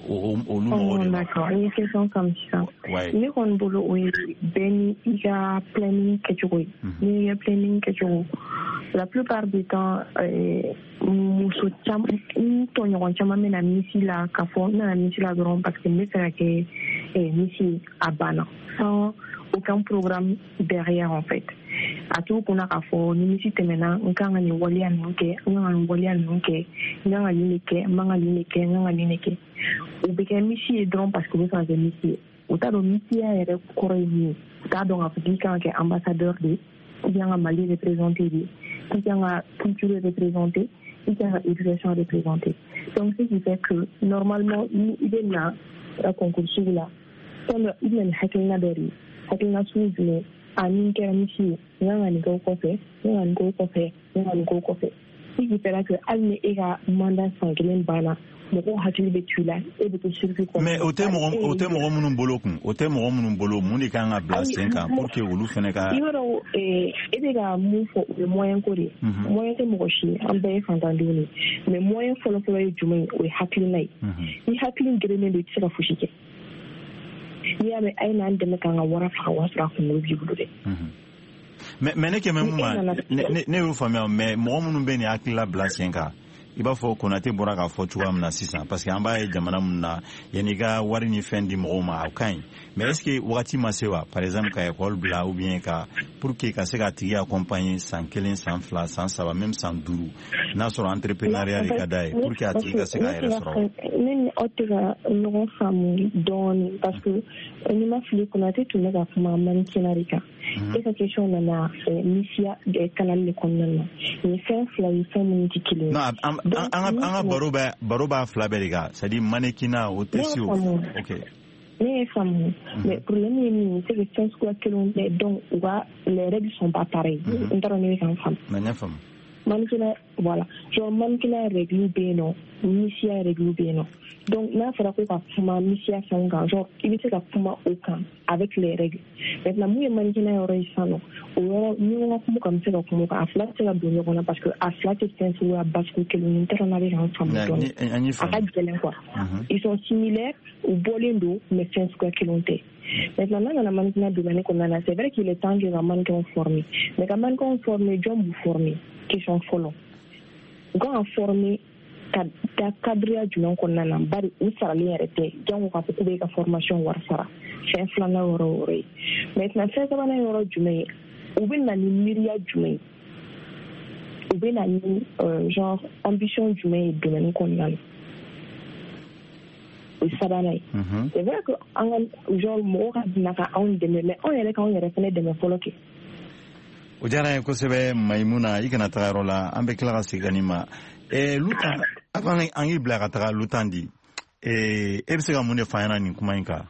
Olu mɔgɔw de ma. D'accord, i ye question faamu sisan. Ne kɔni bolo, o ye bɛɛ ni i ka planning kɛcogo ye. N'i ka planning kɛcogo, la plupart du temps, muso caman, n tɔɲɔgɔn caman bɛ na Miss la k'a fɔ n nana Miss la dɔrɔn parce que n bɛ fɛ ka kɛ Miss ye, a banna, sans aucun programme derrière en fait. A t'u kunna k'a fɔ ni Miss tɛmɛna, n kan ka nin waleya ninnu kɛ, n kan ka nin waleya ninnu kɛ, n kan ka nin de kɛ, n man ka nin de kɛ, n kan ka nin de kɛ. U bɛ kɛ Miss ye dɔrɔn parce que u bɛ fɛ ka kɛ Miss ye. U t'a dɔn Missiya yɛrɛ kɔrɔ ye min ye. U t'a dɔn k'a fɔ k'i kan ka kɛ ambassadeur de ye, i kan ka Mali représenter de, i kan ka culture représenter, i kan ka éducation représenter. Donc ce qui fait que normalement, ni i bɛ na concours sugu la, fɛn dɔ i bɛ na ni hakilina dɔ de ye. Hakilina sugu jumɛn? A ni n kɛra Miss ye, n kan ka nin kɛ o kɔfɛ, n kan ka nin kɛ o kɔfɛ, n kan ka nin kɛ o kɔfɛ. Ce qui fait que hali ni e ka mandat san kelen banna, mɔgɔw hakili bɛ to i la, e bɛ to circuit kɔnɔ. Mais o tɛ mɔgɔ o tɛ mɔgɔ minnu bolo kun, o tɛ mɔgɔ minnu bolo, mun de kan ka bila sen kan pour que olu fana ka. I b'a dɔn, e bɛ ka mun fɔ, o ye moyen ko de ye. Moyen tɛ mɔgɔ si ye, an bɛɛ ye fantandenw de ye. Mais moyen fɔlɔ-fɔlɔ ye jumɛn ye? O ye hakilina ye. Ni hakili gerennen don, i tɛ se ka fosi kɛ. N'i y'a mɛn a ye n'an dɛmɛ k'an ka wara faga, o y'a sɔrɔ a kunkolo b'i bolo dɛ. Mais mais ne kɛmɛ mun ma, ne ne y'o faamuya, mais mɔgɔ minnu bɛ nin hakilila bila sen kan, I b'a fɔ Konate bɔra k'a fɔ cogoya min na sisan, parce que an b'a ye jamana min na, yanni i ka wari ni fɛn di mɔgɔw ma, o ka ɲi, mais est ce que wagati ma se wa, par exemple ka école bila ou bien ka pour que ka se k'a tigi accompagner san kelen, san fila, san saba, même san duuru, n'a sɔrɔ entrepreneuriat de ka d'a ye, pour que a tigi ka se k'a yɛrɛ sɔrɔ? Ne ni aw tɛ ka ɲɔgɔn faamu dɔɔnin, parce que ni ma fili, Konate tun bɛ ka kuma mannequinat de kan. E ka question nana misiya kalali de kɔnɔna na. Nin fɛn fila ye fɛn minnu tɛ kelen ye. Non, an an ka baro bɛ baro b'a fila bɛɛ de kan, c'est à dire mannequinat o tɛ se o. Ok. Ne ye faamu, mais problème ye min ye, c'est que fɛn suguya kelenw tɛ, donc u ka les règles sont pas pareilles. N t'a dɔn ne bɛ ka n faamu. N y'a faamu. Mannequinat, voilà, genre mannequinat règle bɛ yen nɔ, misiya règle bɛ yen nɔ. Donc n'a fɔra ko ka kuma misiya fɛnw kan, genre i bɛ se ka kuma o kan avec les règles. Maintenant, mun ye mannequinat yɔrɔ ye sisan nɔ, o yɔrɔ ni ko ka kuma kan, n bɛ se ka kuma o kan. A fila tɛ se ka don ɲɔgɔn na parce que a fila tɛ fɛn suguya basugu kelen ye. N t'a dɔn n'a bɛ ka n faamu dɔɔnin. A ka gɛlɛn quoi. Ils sont similaires, u bɔlen don, mais fɛn suguya kelenw tɛ. Maintenant, n'a nana mannequinat domaine kɔnɔna na, c'est vrai qu'il est temps que ka mannequin former, mais ka mannequin former, jɔn b'u former? Question fɔlɔ, u kan ka former ka da cadre jumɛn kɔnɔna na? Bari u saralen yɛrɛ tɛ, jango k'a fɔ k'u bɛ ka formation wari sara. Fɛn filanan yɔrɔ o yɔrɔ ye. Maintenant, fɛn sabanan yɔrɔ jumɛn ye? U bɛ na ni miiriya jumɛn ye? U bɛ na ni genre ambition jumɛn ye domaine kɔnɔna na? O ye sabanan ye. C'est vrai que an ka genre mɔgɔw ka na ka anw dɛmɛ, mais anw yɛrɛ k'anw yɛrɛ fɛnɛ dɛmɛ fɔlɔ kɛ. O diyara n ye kosɛbɛ, Mayimuna. I kana taga yɔrɔ la, an bɛ tila ka segin ka n'i ma. Lutan, avant an k'i bila ka taga, Lutan di, e bɛ se ka mun de f'an ɲɛna nin kuma in kan?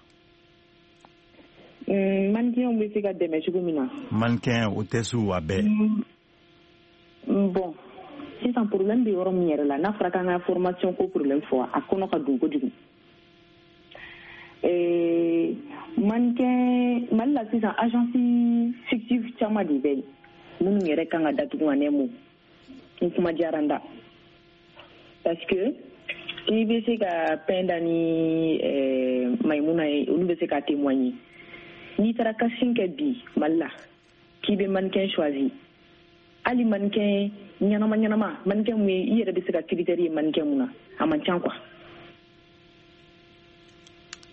Mannequinw bɛ se ka dɛmɛ cogo min na. Mannequin o tɛ su a bɛɛ. Bon, sisan problème bɛ yɔrɔ min yɛrɛ la, n'a fɔra k'an ka formation ko problème fɔ, a kɔnɔ ka don kojugu. Mannequin Mali la sisan, agence fictive caman de bɛ yen minnu yɛrɛ kan ka datugu en un mot. Ni kuma diyara n da, parce que n'i bɛ se ka Penda ni Mayimuna ye, olu bɛ se ka témoigner. N'i taara casting kɛ bi Mali la k'i bɛ mannequin choisi, hali mannequin ɲɛnama ɲɛnama, mannequin mun ye i yɛrɛ bɛ se ka critère ye mannequin mun na, a man ca quoi.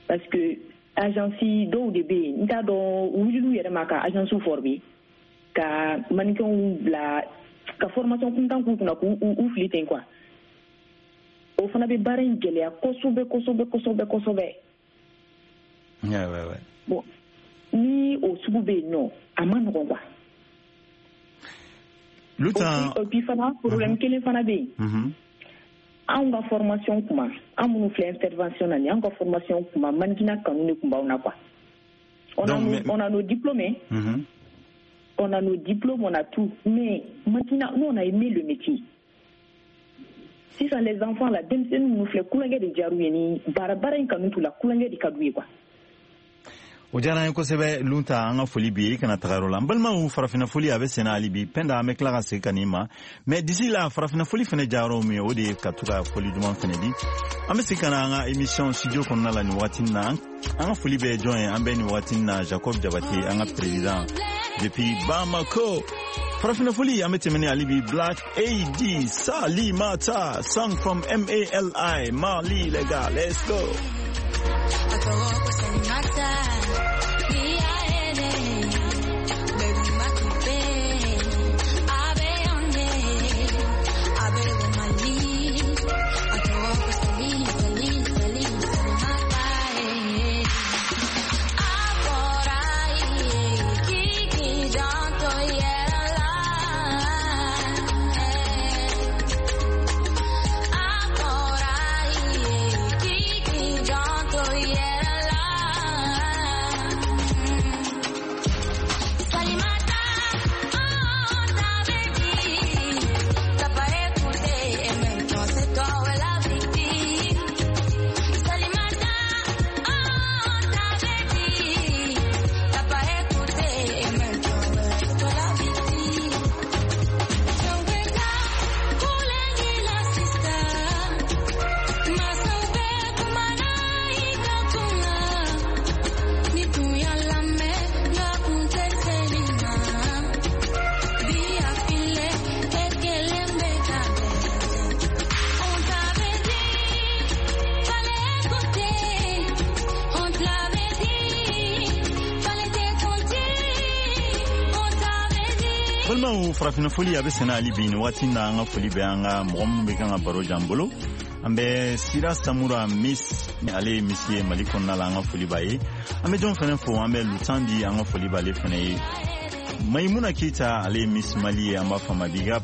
Parce que agence dɔw de bɛ yen, n t'a dɔn u wulil'u yɛrɛ ma ka agence former, ka mannequinw bila ka formation kuntan k'u kunna, k'u u fili ten quoi. O fana bɛ baara in gɛlɛya kosɛbɛ kosɛbɛ kosɛbɛ kosɛbɛ. Ouais, ouais, ouais. Bon, ni o sugu bɛ yen nɔ, a ma nɔgɔn quoi. Lutan. Et puis fana, problème kelen fana bɛ yen. Anw ka formation kuma, an minnu filɛ intervention na nin, anw ka formation kuma, mannequinat kanu de tun b'anw na quoi. On a, nos, on a nos diplômes, mm-hmm. On a nos diplômes, on a tout, mais maintenant, nous on a aimé le métier. Sisan les enfants la, denmisɛnnin minnu filɛ, kulonkɛ de diyar'u ye, ni baara baara in kanu t'u la, kulonkɛ de ka d'u ye quoi. O diyara an ye kosɛbɛ, Lunta. An ka foli bi ye, i kana taga yɔrɔ la. N balimaw, farafinna foli a bɛ senna hali bi. Penda, an bɛ tila ka segin ka n'i ma, mais d'ici là, farafinna foli fɛnɛ diyayɔrɔ min ye, o de ye ka to ka foli duman fɛnɛ di. An bɛ segin ka na an ka émission studio kɔnɔna la nin wagati na. An ka foli bɛ jɔn ye? An bɛ nin wagati na Jacob Jabate, an ka président depuis Bamako. Farafinna foli, an bɛ tɛmɛ ni hali bi Black A D Salimata, song from M A L I, Mali. Les gars, let's go. Yeah. Balimaw, farafinna foli a bɛ senna hali bi. Nin waati na, an ka foli bɛ an ka mɔgɔ minnu bɛ kan ka baro jan bolo. An bɛ Sira Samura Miss, ale ye Miss ye Mali kɔnɔna la, an ka foli b'a ye. An bɛ jɔn fɛnɛ fo? An bɛ Lutandi, an ka foli b'ale fɛnɛ ye. Mayimuna Keyita, ale ye Miss Mali ye, an b'a fɔ ma big up.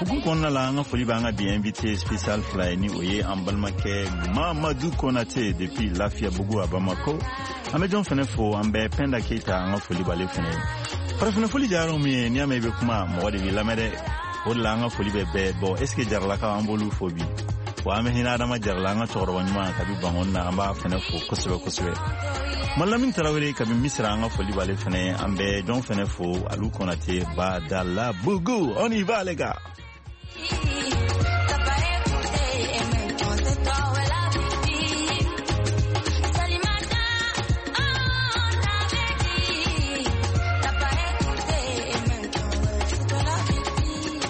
Hukumu kɔnɔna la, an ka foli b'an ka bi invité spécial fila ye, ni o ye an balimakɛ Mamadu Konate depuis Lafiyabugu a Bamako. An bɛ jɔn fɛnɛ fo? An bɛ Pɛnda Keyita, an ka foli b'ale fɛnɛ ye. Farafinna foli jayɔrɔ min ye, n'i y'a mɛn i bɛ kuma, mɔgɔ de b'i lamɛn dɛ. O de la, an ka foli bɛ bɛɛ. Bon, est ce que Jaralakaw, an b'olu fo bi wa? An bɛ hinɛ Adama Jarala, an ka cɛkɔrɔba ɲuman kabi Bangɔni na, an b'a fɛnɛ fo kosɛbɛ kosɛbɛ. Malamin Tarawele kabi Misira, an ka foli b'ale fɛnɛ. An bɛ jɔn fɛnɛ fo? Alu Konate Badala Bugu. On y va les gars. T'as pas écouté et maintenant c'est toi ouais la victime. Salimata, on t'avait dit. T'as pas écouté et maintenant ouais, c'est toi la victime.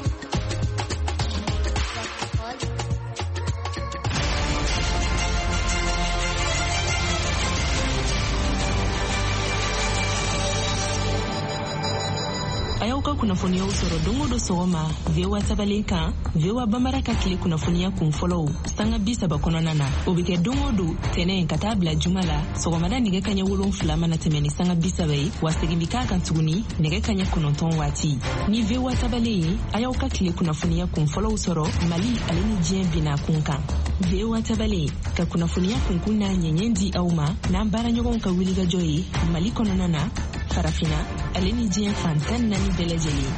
A y'aw ka kunnafoniyaw sɔrɔ don o don sɔgɔma V O A tabalen kan, V O A Bambara ka tile kunnafoniya kun fɔlɔw sanga bi saba kɔnɔna na. O bɛ kɛ don o don tɛnɛ ka taa bila juma la, sɔgɔmada nɛgɛ kaɲɛ wolonfila mana tɛmɛ ni sanga bi saba ye, wa segin bi k'a kan tuguni nɛgɛ kaɲɛ kɔnɔntɔn waati. Ni V O A tabalen ye, a y'aw ka tile kunnafoniya kun fɔlɔw sɔrɔ Mali ale ni diɲɛ bina kun kan. V O A tabalen ka kunnafoniya kunkun n'a ɲɛɲɛ di aw ma n'an baaraɲɔgɔnw ka wulikajɔ ye Mali kɔnɔna na, Farafina ale ni diɲɛ fan tan naani bɛɛ lajɛlen.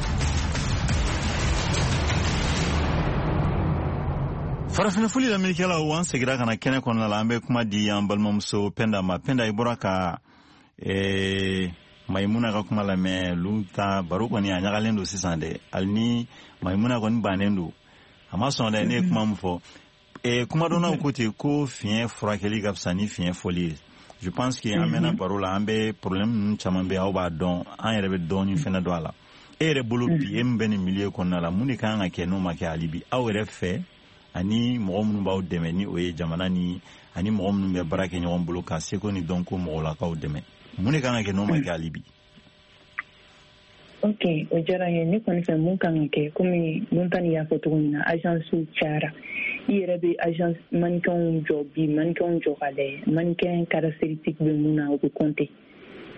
Farafinna foli lamɛnnikɛlaw, an segira ka na kɛnɛ kɔnɔna la. An bɛ kuma di an balimamuso Pɛnda ma. Pɛnda, i bɔra ka eh, Maimuna ka kuma lamɛn. Lu ta baro kɔni a ɲagalen don sisan dɛ. Hali ni Maimuna kɔni bannen don, a ma sɔn dɛ. Ne ye kuma min fɔ, eh, kumadɔnnaw ko ten ko fiɲɛ furakɛli ka fisa ni fiɲɛ fɔli ye. Je pense que an mɛnna baro la, an bɛ problème ninnu caman bɛ, aw b'a dɔn, an yɛrɛ bɛ dɔɔni fɛnɛ dɔn a la. E yɛrɛ bolo bi, e min bɛ nin milieu kɔnɔna la, mun de kan ka kɛ n'o ma kɛ hali bi aw yɛrɛ fɛ, ani mɔgɔ minnu b'aw dɛmɛ, ni o ye jamana ni ani mɔgɔ minnu bɛ baara kɛ ɲɔgɔn bolo ka seko ni dɔnko mɔgɔlakaw dɛmɛ, mun de kan ka kɛ n'o ma kɛ hali bi? Ok, o diyara n ye. Ne kɔni fɛ, mun kan ka kɛ, komi Montani y'a fɔ cogo min na, agence cayara. I yɛrɛ bɛ agence mannequinw jɔ bi, mannequinw jɔ ka lajɛ mannequin caractéristique bɛ mun na, o bɛ compter,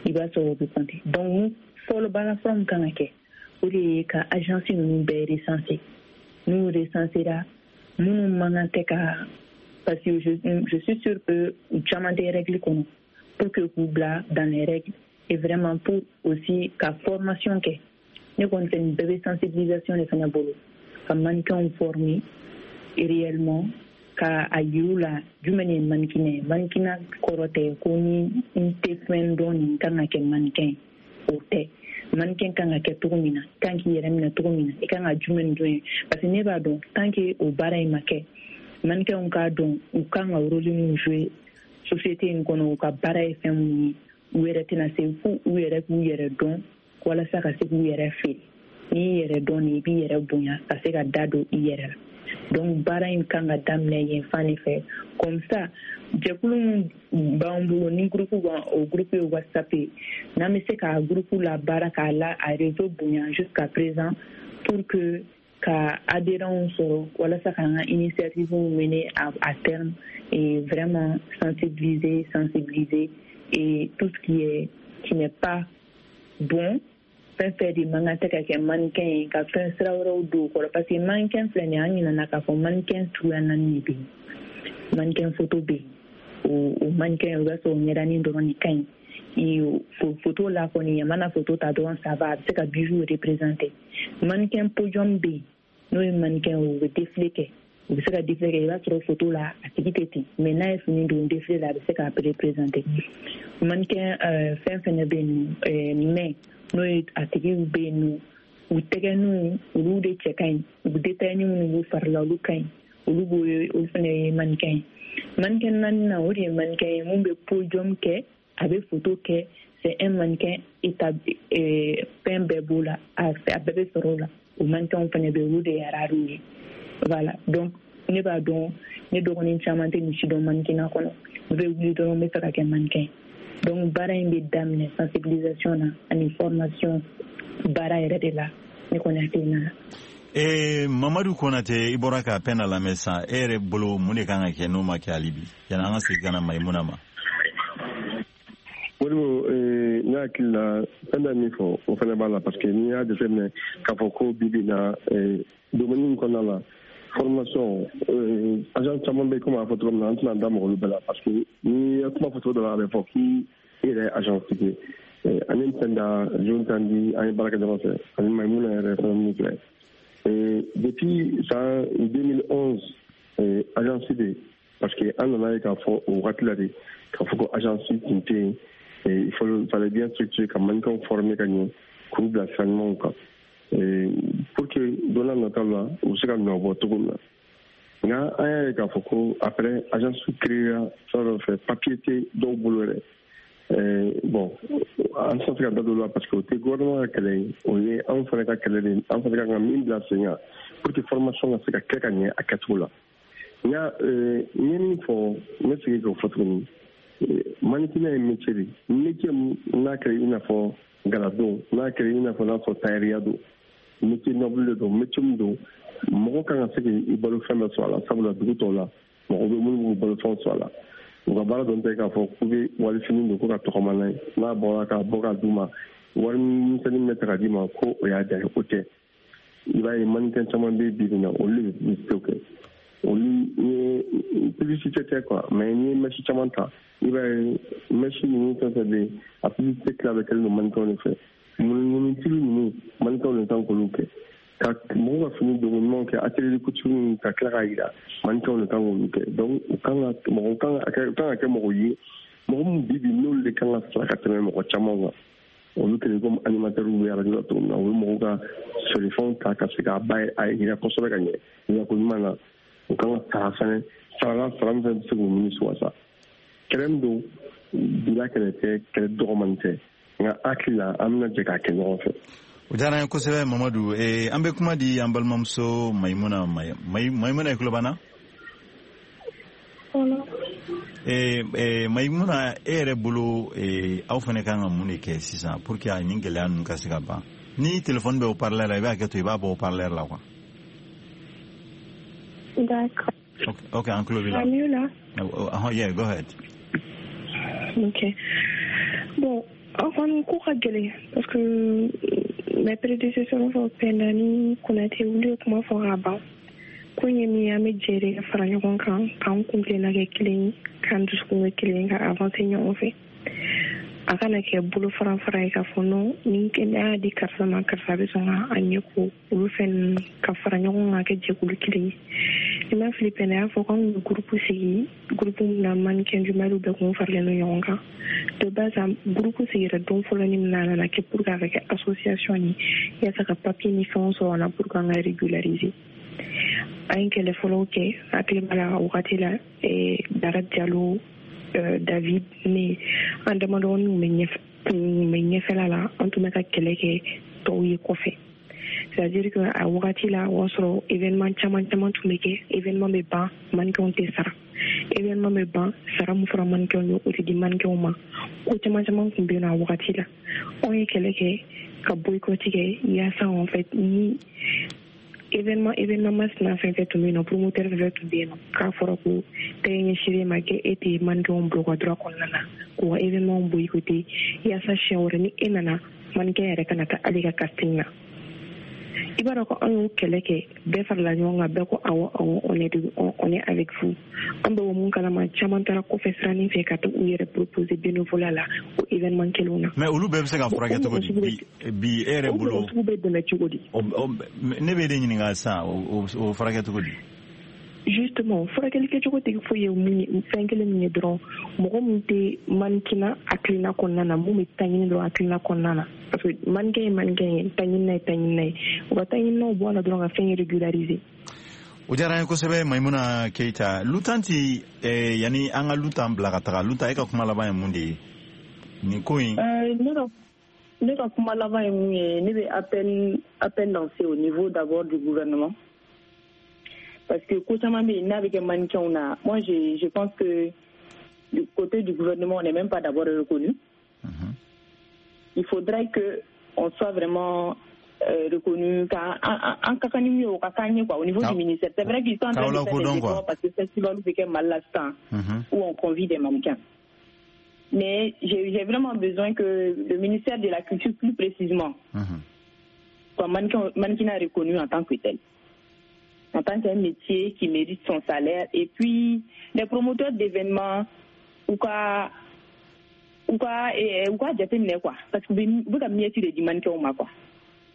i b'a sɔrɔ o bɛ compter. Donc mun fɔlɔ, baara fɔlɔ min kan ka kɛ, o de ye ka agence ninnu bɛɛ recenser. N'u recensera, minnu man kan tɛ ka, parce que je, je suis sûre que u caman tɛ règle kɔnɔ, pour que k'u bila dans les règles et vraiment pour aussi ka formation kɛ. Ne kɔni fɛ, nin bɛɛ bɛ sensibilisation de fana bolo, ka mannequinw former réellement, ka a yir'u la jumɛn ye mannequin ye. Mannequinat kɔrɔ tɛ ko ni n tɛ fɛn dɔn nin kan ka kɛ mannequin ye, o tɛ. Mannequin kan ka kɛ cogo min na, i kan k'i yɛrɛ minɛ cogo min na, i kan ka jumɛn dɔn ye, parce que ne b'a dɔn, tant que o baara in ma kɛ, mannequinw k'a dɔn u kan ka rôle min jouer société in kɔnɔ, u ka baara ye fɛn mun ye, u yɛrɛ tɛna se fo u yɛrɛ k'u yɛrɛ dɔn walasa ka se k'u yɛrɛ feere. N'i y'i yɛrɛ dɔn de, i b'i yɛrɛ bonya ka se ka da don i yɛrɛ la. Donc baara in kan ka daminɛ yen fan de fɛ. Comme ça, jɛkulu min b'an bolo, ni groupe b'an, o groupe ye WhatsApp ye, n'an bɛ se ka groupe la baara k'a la a réseau bonya jusqu'à présent pour que ka adhérents sɔrɔ walasa k'an ka initiative mener à, à terme et vraiment sensibiliser sensibiliser et tout ce qui est qui n'est pas bon, fɛn fɛn de man kan tɛ ka kɛ mannequin ye, ka fɛn sira wɛrɛw don o kɔrɔ. Parce que mannequin filɛ nin ye, an ɲinɛna k'a fɔ mannequin suguya naani de bɛ yen. Mannequin photo bɛ yen, o o mannequin, o b'a sɔrɔ ɲɛdanin dɔrɔn de ka ɲi photo la kɔni, a mana photo ta dɔrɔn, ça va, a bɛ se ka bijou représenter. Mannequin podium bɛ yen, n'o ye mannequin ye, u bɛ défilé kɛ, u bɛ se ka défilé kɛ, i b'a sɔrɔ photo la a tigi tɛ ten, mais n'a ye fini don défilé la, a bɛ se k'a représenter. Mannequin fɛn fɛnɛ bɛ yen nɔ, mais n'o ye a tigiw bɛ yen nɔ, u tɛgɛninw olu de cɛ ka ɲi, u détail minnu b'u fari la, olu ka ɲi, olu b'o ye, olu fana ye mannequin ye. Mannequin naaninan, o de ye mannequin ye mun bɛ podium kɛ, a bɛ photo kɛ, c'est un mannequin établi, fɛn bɛɛ b'o la, a bɛɛ bɛ sɔrɔ o la. O mannequinw fana bɛ yen, olu de ye rares ye. Voilà, donc ne b'a dɔn, ne dɔgɔnin caman tɛ nin si dɔn mannequinat kɔnɔ, u bɛ wuli dɔrɔn n bɛ fɛ ka kɛ mannequin ye. Donc baara in bɛ daminɛ sensibilisation na ani formation baara yɛrɛ de la. Ne Ne kɔni hakilina la. Ee Mamadu Konate, i bɔra ka Penda lamɛn sisan, e yɛrɛ bolo mun de kan ka kɛ n'o ma kɛ hali bi, yanni an ka segin ka na Mayimuna ma? Modibo, ne hakili la, Penda min fɔ, o fana b'a la, parce que n'i y'a jateminɛ k'a fɔ ko bi bi na domaine in kɔnɔna la, formation, agent caman bɛ, komi a fɔ cogo min na, an tɛna da mɔgɔ olu bɛɛ la, parce que n'i ye kuma fɔ cogo dɔ la, a bɛ fɔ k'i yɛrɛ ye agent tigi ye. Ani Penda John Tandi, an ye baara kɛ ɲɔgɔn fɛ, ani Mayimuna yɛrɛ fana min filɛ. Depuis san deux mille onze, agence bɛ, parce que an nana ye k'a fɔ o wagati la de k'a fɔ ko agence tun tɛ yen. Il fallait bien structurer ka mannequinw former ka ɲɛ, k'u bila sira ɲumanw kan, pour que don n'a nataw la, u bɛ se ka nɔ bɔ cogo min na. Nka an y'a ye k'a fɔ ko après, agence créera sira dɔ fɛ, papier tɛ dɔw bolo yɛrɛ. Bon, an tɛ se ka da don o la, parce que o tɛ gouvernement ka kɛlɛ ye, o ye anw fana ka kɛlɛ de ye. An fana kan ka min bila sen kan pour que formation ka se ka kɛ ka ɲɛ a kɛcogo la. Nka n ye min fɔ, n bɛ segin k'o fɔ tuguni: mannequinat ye métier de ye, métier n'a kɛra i n'a fɔ galadon, n'a kɛra i n'a fɔ n'a fɔ tailleur don, métier noble de don, métier min don mɔgɔ kan ka se k'i balo fɛn bɛɛ sɔrɔ a la. Sabula dugu tɔw la, mɔgɔ bɛ minnu b'u balo fɛnw sɔrɔ a la. U ka baara dɔn tɛ k'a fɔ k'u bɛ walifini don ko ka tɔgɔma n'a ye, n'a bɔra k'a bɔ k'a d'u ma, wari misɛnnin bɛ ta ka d'i ma ko o y'a diya ye, o tɛ. I b'a ye mannequin caman bɛ bi bi in na, olu de bɛ publicité kɛ. Olu ye publicité tɛ quoi, mais n'i ye mèche caman ta, i b'a ye mèche ninnu fɛn fɛn bɛ yen, a publicité tila bɛɛ kɛlen don mannequinw de fɛ. Munumunu ninnu, mannequinw de kan k'olu kɛ, ka mɔgɔw ka fini donko ɲumanw kɛ, atelier de couture ninnu, ka tila k'a yira, mannequinw de kan k'olu kɛ. Donc u kan ka mɔgɔ kan ka kɛ kan ka kɛ mɔgɔ ye, mɔgɔ min bi bi n'olu de kan ka sara ka tɛmɛ mɔgɔ caman kan. Olu kɛlen komi animateurs bɛ arajo la cogo min na, u bɛ mɔgɔw ka feerefɛnw ta ka se k'a ba a yira kosɛbɛ ka ɲɛ yirako ɲuman na. U kan ka sara fɛnɛ, sarala sara min fɛnɛ bɛ se k'u nimisi wasa. Kɛlɛ min don, bila kɛlɛ tɛ, kɛlɛ dɔgɔmani tɛ, nka hakili la, an bɛna jɛ k'a kɛ ɲɔgɔn fɛ. O diyara an ye kosɛbɛ, Mamadu. An bɛ kuma di an balimamuso Mayimuna. Mayimuna, i tulo b'an na? Mayimuna, e yɛrɛ bolo, aw fana kan ka mun de kɛ sisan pour que nin gɛlɛya ninnu ka se ka ban? Ni téléphone bɛ haut-parleur la, i b'a kɛ to, i b'a bɔ haut-parleur la quoi. D'accord. Ok, ok, an tulo b'i la. Ah, mieux là? Oh, yeah, go ahead. Ok. Bon, enfin, ko ka gɛlɛn, parce que mes prédécesseurs fɔ, Penda ni Konate, olu ye kuma fɔ ka ban. Ko in ye min ye, an bɛ jɛ de ka fara ɲɔgɔn kan, k'an kun tilenna kɛ kelen ye, k'an dusukun kɛ kelen ye, ka avancer ɲɔgɔn fɛ. A kana kɛ bolo fara fara ye k'a fɔ non, ni an y'a di karisa ma, karisa bɛ sɔn ka a ɲɛ ko. Olu fɛn ninnu, ka fara ɲɔgɔn kan, kɛ jɛkulu kelen ye. Ni ma fili, Penda y'a fɔ k'anw ye groupe sigi, groupe min na mannequin du Mali bɛɛ kun faralen don ɲɔgɔn kan. De base, groupe sigira don fɔlɔ ni min na, a nana kɛ pour que a ka kɛ association ye, yaasa ka papier ni fɛnw sɔrɔ an na pour que an ka régulariser. An ye kɛlɛ fɔlɔw kɛ, hakili b'a la wagati la, Dara Diallo, David, ne, an damadɔnin tun bɛ ɲɛfɛ kun bɛ ɲɛfɛla la, an tun bɛ ka kɛlɛ kɛ tɔw ye kɔfɛ. C'est à dire que a wagati la, o y'a sɔrɔ événement caman caman tun bɛ kɛ, événement bɛ ban, mannequinw tɛ sara, événement bɛ ban, sara min fɔra mannequinw ye, o tɛ di mannequinw ma. Ko caman caman tun bɛ yen nɔ a wagati la. Anw ye kɛlɛ kɛ ka boycott kɛ, yaasa en fait ni événement événement masina fɛn fɛn tun bɛ yen nɔ, promoteur fɛn fɛn tun bɛ yen nɔ, k'a fɔra ko tɛgɛ ɲɛsinnen ma kɛ, e tɛ mannequinw bila u ka droit kɔnɔna na, k'u ka événement boycotter, yaasa siɲɛ wɛrɛ ni e nana, mannequin yɛrɛ kana taa hali ka casting na. I b'a dɔn ko an y'o kɛlɛ kɛ, bɛɛ farala ɲɔgɔn kan, bɛɛ ko awɔ awɔ, on est on est avec vous. An bɛ mun kalama, caman taara kɔfɛ siranin fɛ ka taa u yɛrɛ proposer bénévolat la o événement kelenw na. Mais olu bɛɛ bɛ se ka furakɛ cogo di bi bi e yɛrɛ bolo? O mɔgɔ sugu bɛ dɛmɛ cogo di? Ne bɛ de ɲininka sisan, o furakɛ cogo di? Justement, furakɛli kɛcogo tɛ foyi ye, mun ye, fɛn kelen min ye dɔrɔn, mɔgɔ min tɛ mannequinat hakilina kɔnɔna na, mun bɛ taɲini dɔrɔn hakilina kɔnɔna na, parce que mannequin ye mannequin ye, taɲinina ye taɲinina ye, u ka taɲininaw bɔ a la dɔrɔn ka fɛn régulariser. O diyara an ye kosɛbɛ, Maimuna Keyita. Lutanti, eh, yanni an ka Lutan bila ka taga, Lutan, e ka kuma laban ye mun de ye nin ko in? Ne ka ne ka kuma laban ye mun ye, ne bɛ appel appel lancer au niveau d'abord du gouvernement, parce que ko caman bɛ yen n'a bɛ kɛ mannequinw na, moi je je pense que du côté du gouvernement, on n'est même pas d'abord reconnu. Mm -hmm. Il faudrait que on soit vraiment euh, reconnu an ka kan ni min ye o ka k'an ye quoi au niveau du ministère. C'est vrai qu'ils sont en train de faire des efforts parce que festival bɛ kɛ Mali la sisan où on convie des mannequins. Mais j'ai, j'ai vraiment besoin que le ministère de la Culture, plus précisément, soit mannequin, mannequinat reconnu en tant que tel, en tant qu'un métier qui mérite son salaire. Et puis, les promoteurs d'événements, ou quoi, ou quoi, ou quoi, jateminɛ quoi. Parce que u bɛ ka miette de di mannequin ma quoi.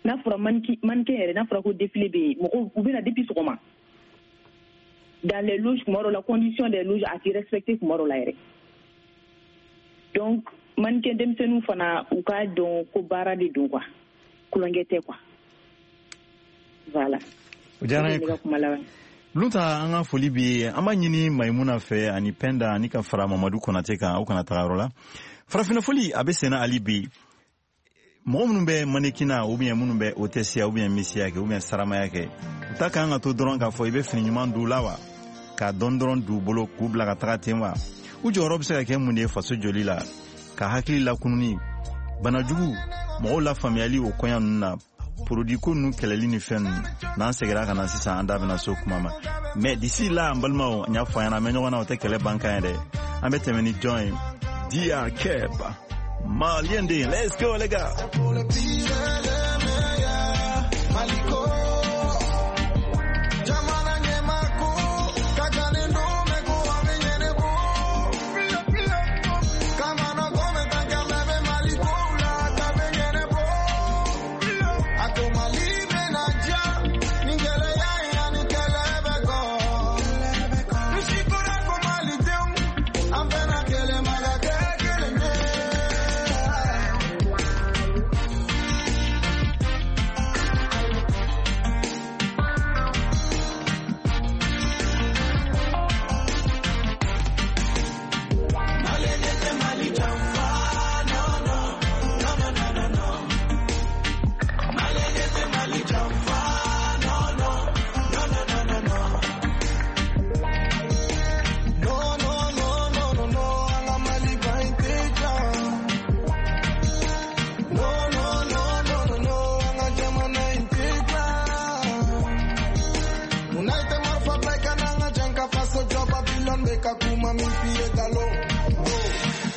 N'a fɔra mannequin yɛrɛ, n'a fɔra ko défilé bɛ yen, mɔgɔw u bɛ na depuis sɔgɔma. Dans les loges, kuma dɔw la, condition des loges a ti respecté kuma dɔw la yɛrɛ. Donc, mannequin denmisɛnninw fana u k'a dɔn ko baara de don quoi. Kulonkɛ tɛ quoi. Voilà. O diyara n ye. Lunta, an ka foli b'i ye. An b'a ɲini Mayimuna fɛ ani Pɛnda ani ka fara Mamadu Konate kan, aw kana taga yɔrɔ la. Farafinna foli a bɛ senna hali bi. Mɔgɔ minnu bɛ mannequinat ou bien minnu bɛ hôtesse ou bien misiya kɛ ou bien saramaya kɛ, u ta kan ka to dɔrɔn k'a fɔ i bɛ fini ɲuman d'u la wa, k'a dɔn dɔrɔn d'u bolo k'u bila ka taga ten wa. U jɔyɔrɔ bɛ se ka kɛ mun de ye faso joli la, ka hakili lakununi, banajugu mɔgɔw lafaamuyali o kɔɲa ninnu na, produit ko ninnu kɛlɛli ni fɛn ninnu. N'an seginna ka na sisan, an da bɛna so kuma ma. Mais d'ici là, an balimaw, n y'a fɔ an ɲɛna, an bɛ ɲɔgɔn na, o tɛ kɛlɛ ban kan ye dɛ. An bɛ tɛmɛ ni jɔn ye? D R Keb, Malien den. Let's go les gars.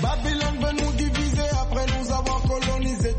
Babylone veut nous diviser après nous avoir colonisé.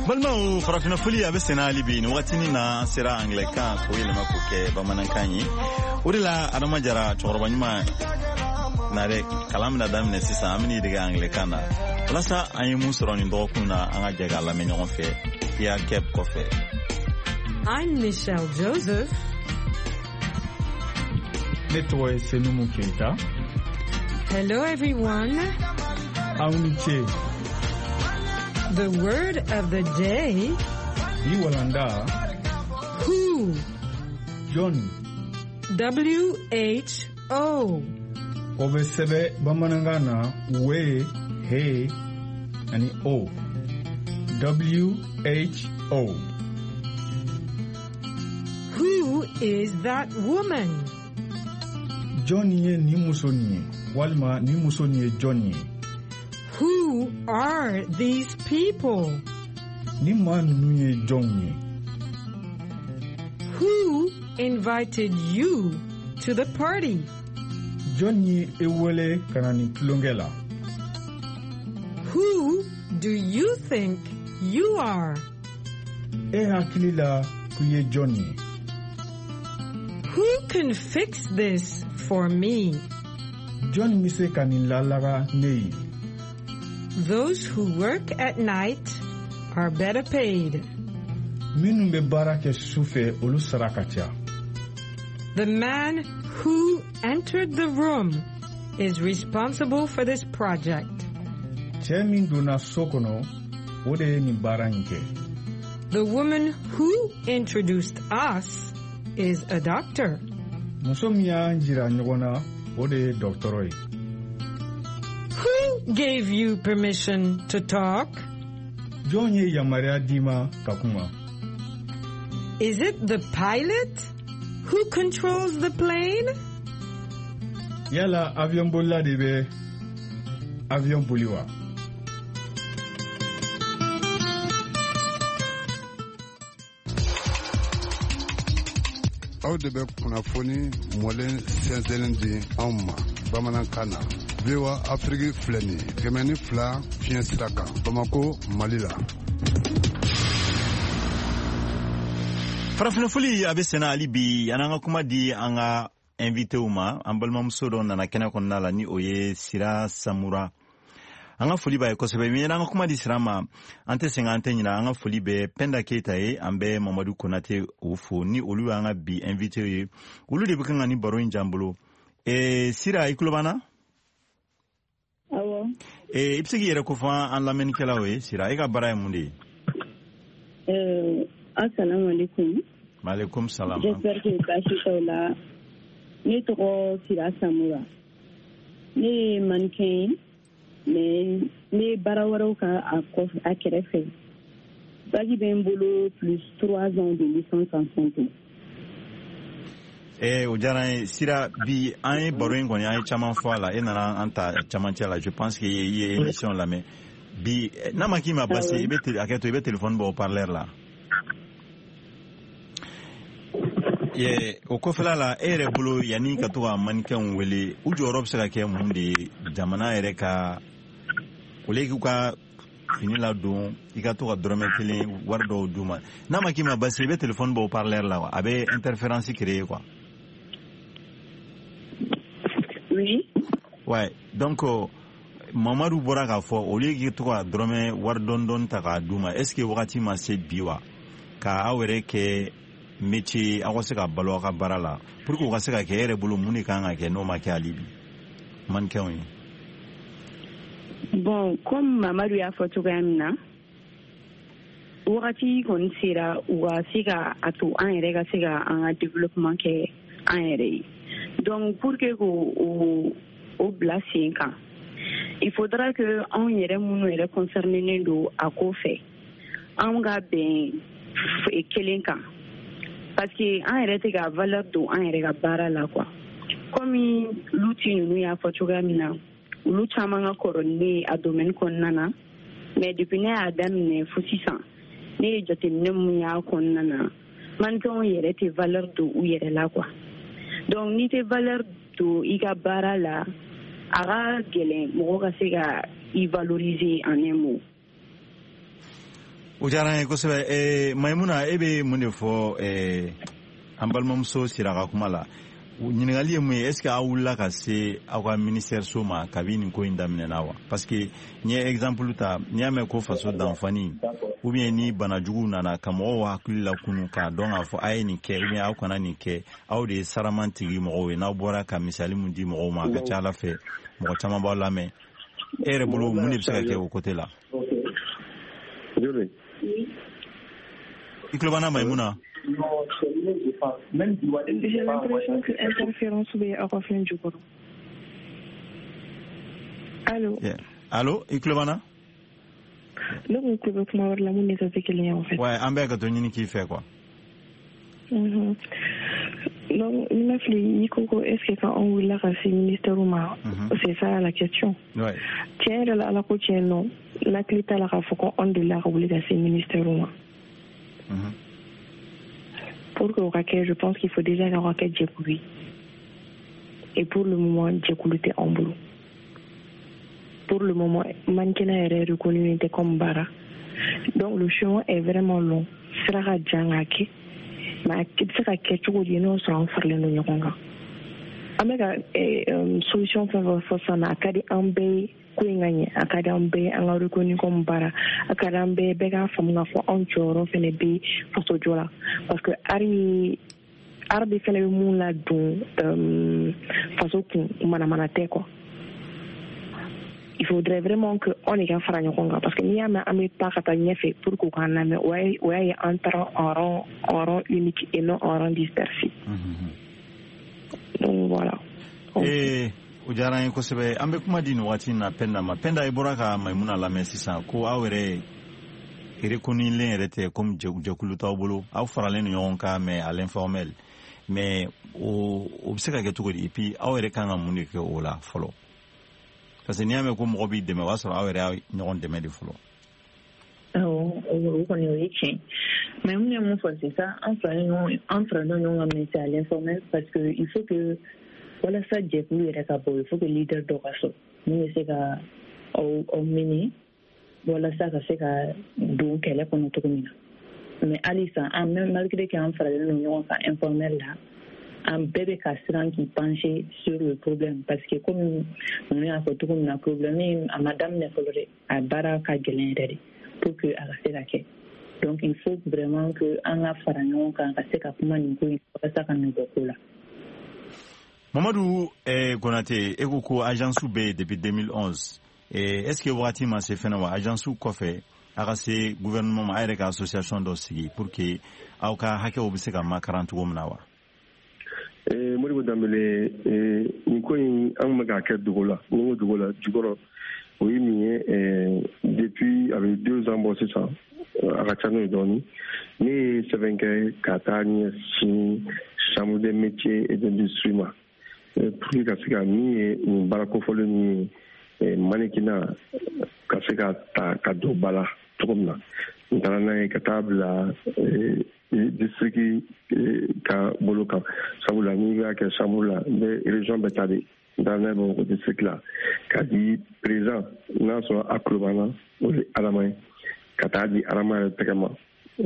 Balimaw, farafinna foli a bɛ senna hali bi. Nin wagatinin na, an sera anglɛkan k'o yɛlɛma k'o kɛ bamanankan ye. O de la, Adama Jara, cɛkɔrɔba ɲuman na dɛ, kalan bɛna daminɛ sisan. An bɛn'i dege anglɛkan na walasa an ye mun sɔrɔ nin dɔgɔkun na, an ka jɛ k'a lamɛn ɲɔgɔn fɛ P R Keb kɔfɛ. I'm Michelle Joseph. Ne tɔgɔ ye Senumu Keita. Hello everyone. Aw ni ce. The word of the day. Bi walanda. Who. Jɔn. W H O. O bɛ sɛbɛn bamanankan na W, H ani O. W H O. Who is that woman? Jɔn ye nin muso nin ye, walima nin muso nin ye jɔn ye? Who are these people? Nin maa ninnu ye jɔnw ye? Who invited you to the party? Jɔn ye e wele ka na nin tulonkɛ la? Who do you think you are? E hakili la k'i ye jɔn ye? Who can fix this for me? Jɔn bɛ se ka nin lalaga ne ye? Those who work at night are better paid. Minnu bɛ baara kɛ su fɛ, olu sara ka ca. The man who entered the room is responsible for this project. Cɛ min donna so kɔnɔ, o de ye nin baara in kɛ. The woman who introduced us is a doctor. Muso min y'an jira ɲɔgɔn na, o de ye dɔgɔtɔrɔ ye. Who gave you permission to talk? Jɔn ye yamaruya d'i ma ka kuma? Is it the pilot who controls the plane? Yala avion bolila de bɛ avion boli wa? Aw de bɛ kunnafoni mɔlen sɛnsɛnlen di anw ma bamanankan na. V O A Afrique filɛ nin ye kɛmɛ ni fila fiɲɛ sira kan Bamako, Mali la. Farafinna foli a bɛ senna hali bi, an ka kuma di an ka invité ma. An balimamuso dɔ nana kɛnɛ kɔnɔna la, ni o ye Sira Samura. An ka foli b'a ye kosɛbɛ. Min an ka kuma di Sira ma, an tɛ sɛgɛn, an tɛ ɲinɛ. An ka foli bɛ Penda Keyita ye, an bɛ Mamadu Konate o fo, ni olu y'an ka bi invité ye. Olu de bɛ kan ka ni baro in jan bolo. Eh, Sira, i tulo b'an na? Awɔ. Eh, i bɛ se k'i yɛrɛ kofɔ an lamɛnnikɛlaw ye? Sira, e ka baara ye mun de ye? Euh, assalamu alaikum. Maaleykum salam. J'espère que baasi t'aw la. Ne tɔgɔ Sira Samura. Ne ye mannequin ye, mais n bɛ baara wɛrɛw kan a kɔfɛ, a kɛrɛfɛ. Bac bɛ n bolo plus trois ans de licence en santé. Eh, o diyara n ye Sira. Bi an ye baro in kɔni, an ye caman fɔ a la. E nana an ta camancɛ la. Je pense que i ye émission lamɛn bi. N'a ma k'i ma basi, i bɛ hakɛ to, i bɛ téléphone bɔ haut-parleur la. Ye o kɔfɛla la, e yɛrɛ bolo, yanni ka to ka mannequinw wele, u jɔyɔrɔ bɛ se ka kɛ mun de ye jamana yɛrɛ ka au lieu k'u ka fini ladon, i ka to ka dɔrɔmɛ kelen wari dɔw d'u ma? N'a ma k'i ma basi, i bɛ téléphone bɔ haut-parleur la wa, a bɛ interférence créer quoi. Oui. Ouais, donc Mamadu bɔra k'a fɔ, au lieu k'i to ka dɔrɔmɛ wari dɔɔni dɔɔni ta k'a d'u ma, est ce que wagati ma se bi wa ka aw yɛrɛ kɛ métier, aw ka se ka balo aw ka baara la? Pour que o ka se ka kɛ, e yɛrɛ bolo, mun de kan ka kɛ n'o ma kɛ hali bi mannequinw ye? Bon, comme Mamadu y'a fɔ cogoya min na, wagati kɔni sera u ka se ka a to an yɛrɛ ka se ka an ka développement kɛ an yɛrɛ ye. Donc pour que k'o o o bila sen kan, il faudra que anw yɛrɛ minnu yɛrɛ concerné don a ko fɛ, anw ka bɛn kelen kan, parce que an yɛrɛ tɛ ka valeur don an yɛrɛ ka baara la quoi. Comme Luti ninnu y'a fɔ cogoya min na, olu caman ka kɔrɔ ni ne ye a domaine kɔnɔna na, mais depuis ne y'a daminɛ fo sisan, ne ye jateminɛ mun y'a kɔnɔna na, mannequinw yɛrɛ tɛ valeur don u yɛrɛ la quoi. Donc n'i tɛ valeur don i ka baara la, a ka gɛlɛn mɔgɔ ka se ka i valoriser en un mot. O diyara n ye kosɛbɛ. Eh, Maimuna, e bɛ mun de fɔ eh, an balimamuso Sira ka kuma la? Ɲininkali ye mun ye, est ce que aw wulila ka se aw ka ministère so ma kabi nin ko in daminɛna wa? Parce que n ye exemple ta, n'i y'a mɛn ko faso danfani ou bien ni banajugu nana ka mɔgɔw hakili lakunu k'a dɔn k'a fɔ a ye nin kɛ ou bien aw kana nin kɛ, aw de ye saraman tigi mɔgɔw ye. N'aw bɔra ka misali mun di mɔgɔw ma, a ka ca ala fɛ mɔgɔ caman b'aw lamɛn. E yɛrɛ bolo, mun de bɛ se ka kɛ o côté la? I tulo b'an na, Maimuna? J'ai l'impression que interférence bɛ aw ka fɛn jukɔrɔ. Allo? Yeah. Allo, i tulo b'an na? Ne kun tulo bɛ kuma wɛrɛ la mun ni ta tɛ kelen ye en fait. Ouais, an bɛ ka to ɲini k'i fɛ quoi. Mhm. Donc ni ma fili, i ko ko est ce que quand anw wulila ka se ministère ma, c'est ça la question. Ouais. Tiɲɛ yɛrɛ la, ala ko tiɲɛ nɔ, n hakili t'a la k'a fɔ ko anw delila ka wuli ka se ministère ma. Mm-hmm. Pour que o ka kɛ, je pense qu'il faut déjà k'aw ka kɛ jɛkulu ye. Et pour le moment, jɛkulu tɛ anw bolo. Pour le moment, mannequinat yɛrɛ reconnu tɛ comme baara. Donc le chemin est vraiment long. Sira ka jan k'a kɛ. Mais a bɛ se ka kɛ cogo di n'o sɔrɔ an faralen don ɲɔgɔn kan? An bɛ ka solution fɛn fɛn fɔ sisan a ka di an bɛɛ ye ko in ka ɲɛ, a ka di an bɛɛ ye an ka reconnu comme baara, a ka di an bɛɛ ye bɛɛ k'a faamu k'a fɔ anw jɔyɔrɔ fɛnɛ bɛ fasojɔ la, parce que art ye art de fɛnɛ bɛ mun ladon faso kun manamana tɛ quoi. Il faudrait vraiment que on de ka fara ɲɔgɔn kan, parce que n'i y'a mɛn an bɛ taa ka taa ɲɛfɛ pour que u k'an lamɛn, o y'a ye an taara en rang en rang unique et non en rang dispersé. Donc voilà. Ee, o diyara an ye kosɛbɛ. An bɛ kuma di nin waati in na Penda ma. Penda, i bɔra ka Maimuna lamɛn sisan ko aw yɛrɛ reconnulen yɛrɛ tɛ comme jɛkulu t'aw bolo, aw faralen don ɲɔgɔn kan mais à l'informel. Mais o o bɛ se ka kɛ cogo di? Et puis aw yɛrɛ kan ka mun de kɛ o la fɔlɔ? Parce que n'i y'a mɛn ko mɔgɔ b'i dɛmɛ, o b'a sɔrɔ aw yɛrɛ y'a ɲɔgɔn dɛmɛ de fɔlɔ. Awɔ, o kɔni o ye tiɲɛ. Mais mun ye mun fɔ, c'est ça, an faralen ɲɔgɔn an faralen ɲɔgɔn kan, mais c'est à l'informel, parce que il faut que walasa jɛkulu yɛrɛ ka bɔ, il faut que leader dɔ ka sɔrɔ mun bɛ se ka aw aw mener walasa ka se ka don kɛlɛ kɔnɔ cogo min na. Mais halisa an même malgré que an faralen don ɲɔgɔn kan informel la, an bɛɛ bɛ ka siran k'i pencher sur le problème, parce que comme ninnu y'a fɔ cogo min na, problème in a ma daminɛ fɔlɔ dɛ, a baara ka gɛlɛn yɛrɛ de pour que a ka se ka kɛ. Donc il faut vraiment que an ka fara ɲɔgɔn kan ka se ka kuma nin ko in walasa ka nin bɔ ko la. Mamadou eh, Konate, e ko ko agence bɛ yen depuis deux mille onze. Eh, est-ce que wagati ma se fɛnɛ wa agence kɔfɛ a ka se gouvernement ma, a yɛrɛ ka association dɔ sigi pour que aw ka hakɛw bɛ se ka makaran cogo min na wa? Eh, Modibo Dembele, eh, nin ko in an bɛ k'a kɛ dogo la, ni ko dogo la jukɔrɔ, o ye min ye, eh, depuis a bɛ deux ans bɔ sisan, a ka ca n'o ye dɔɔnin. Ne ye sɛbɛn kɛ ka taa ɲɛsin chambre des métiers et d'industrie ma, pour que ka se ka min ye nin baara kofɔlen min ye mannequinat ka se ka ta ka don ba la cogo min na. N taara n'a ye ka taa bila district ka bolo kan, sabula n'i b'a kɛ chambre la, n bɛ région bɛɛ ta de. N taara n'a ye Bamakɔ district la k'a di président, n'a sɔrɔ a tulo b'an na, o ye Adama ye, ka taa di Adama yɛrɛ tɛgɛ ma,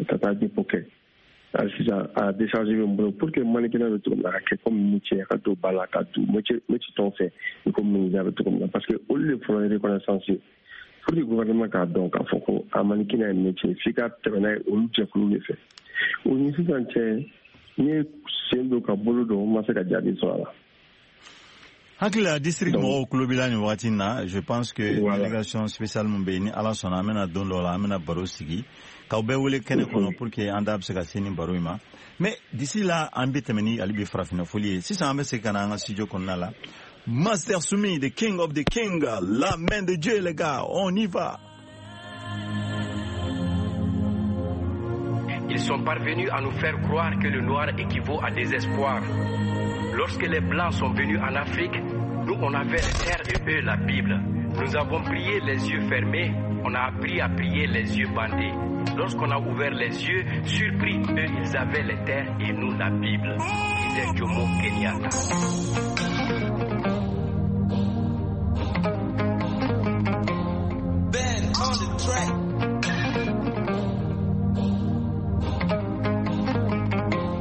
ka taa dépôt kɛ. Hali sisan a décharge bɛ n bolo pour que mannequinat bɛ cogo min na a ka kɛ comme métier, a ka don ba la ka don métier métier tɔw fɛ i ko menuisier bɛ cogo min na, parce que olu de fɔlɔ ye reconnaissance ye pour que gouvernement k'a dɔn k'a fɔ ko a mannequinat ye métier, f'i ka tɛmɛ n'a ye olu jɛkulu de fɛ. O ni sisan cɛ, n ye sen don ka bolo don, n ma se ka jaabi sɔrɔ a la. Hakili la district mɔgɔw tulo b'i la nin waati in na. Je pense que délégation spéciale min bɛ yen, ni Ala sɔnna, an bɛna don dɔ la an bɛna baro sigi k'aw bɛɛ wele kɛnɛ kɔnɔ pour que an da bɛ se ka se nin baro in ma. Mais d'ici là, an bɛ tɛmɛ ni hali bi farafinna foli ye. Sisan an bɛ segin ka na an ka studio kɔnɔna la. Master Soumi, the king of the king, la main de Dieu, les gars, on y va. Ils sont parvenus à nous faire croire que le noir équivaut à désespoir. Lorsque les Blancs sont venus en Afrique, nous on avait les terres et eux la Bible. Nous avons prié les yeux fermés, on a appris à prier les yeux bandés. Lorsqu'on a ouvert les yeux, surpris, eux ils avaient les terres et nous la Bible, disait Jomo Kenyatta. Ben on the track.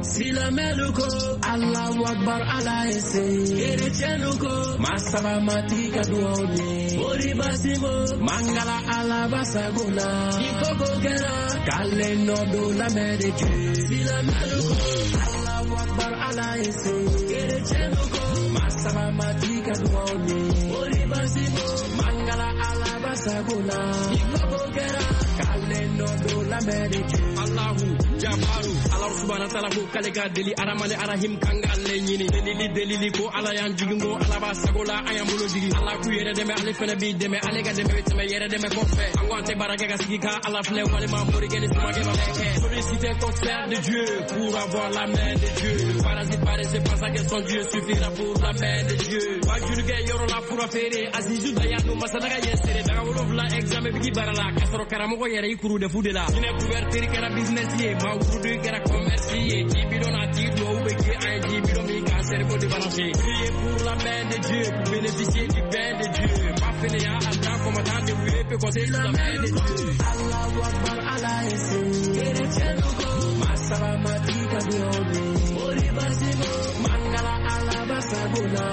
Silamɛlu ko Allahu Akbar Ala ye se, kerecɛnnu ko masaba matigi ka duwaw ye, Oribasibo mangala Ala basago la, ni koko kɛra k'ale nɔ don la main de Dieu. Silamɛlu ko Allahu Akbar Ala ye se, kerecɛnnu ko masaba matigi ka duwaw ye, Oribasibo mangala Ala basago la, ni koko kɛra k'ale nɔ don la main de Dieu. Allahu Jabaru Ala subhanahu wa ta'ala ko k'ale ka deli Aramani Arahim kan k'ale ɲini delili delili ko Ala y'an jigin ko Ala b'a sago la an y'an bolo jigin Ala k'u yɛrɛ dɛmɛ ale fɛnɛ b'i dɛmɛ ale ka dɛmɛ bɛ tɛmɛ yɛrɛ dɛmɛ kɔfɛ an ko an tɛ baara kɛ ka sigi ka Ala filɛ walima morikɛ ni sumakɛ ma kɛ. Solliciter concert de Dieu pour avoir la main de Dieu. Le parasite paresseux pense que son Dieu suffira pour la main de Dieu. Wajurukɛ yɔrɔ la fura feere Azizu Dayanu masalaga ye sere daga wolonwula examen bigi baara la k'a sɔrɔ karamɔgɔ yɛrɛ i kuru defu de la. Jinɛ couverture kɛra business ye maa wurudu kɛra commerce ye ji bidon a tigi duwawu bɛ kɛ an ye ji bidon min k'an cerveau débranché. Prier pour la main de Dieu pour bénéficier du bain de Dieu. Pas fainéant à temps combattant de vous peut compter sur la main de Dieu. Allahu Akbar Ala ye se, kerecɛnnu ko masaba matigi ka duwawu ye, Oribasibo mangala Ala basago la,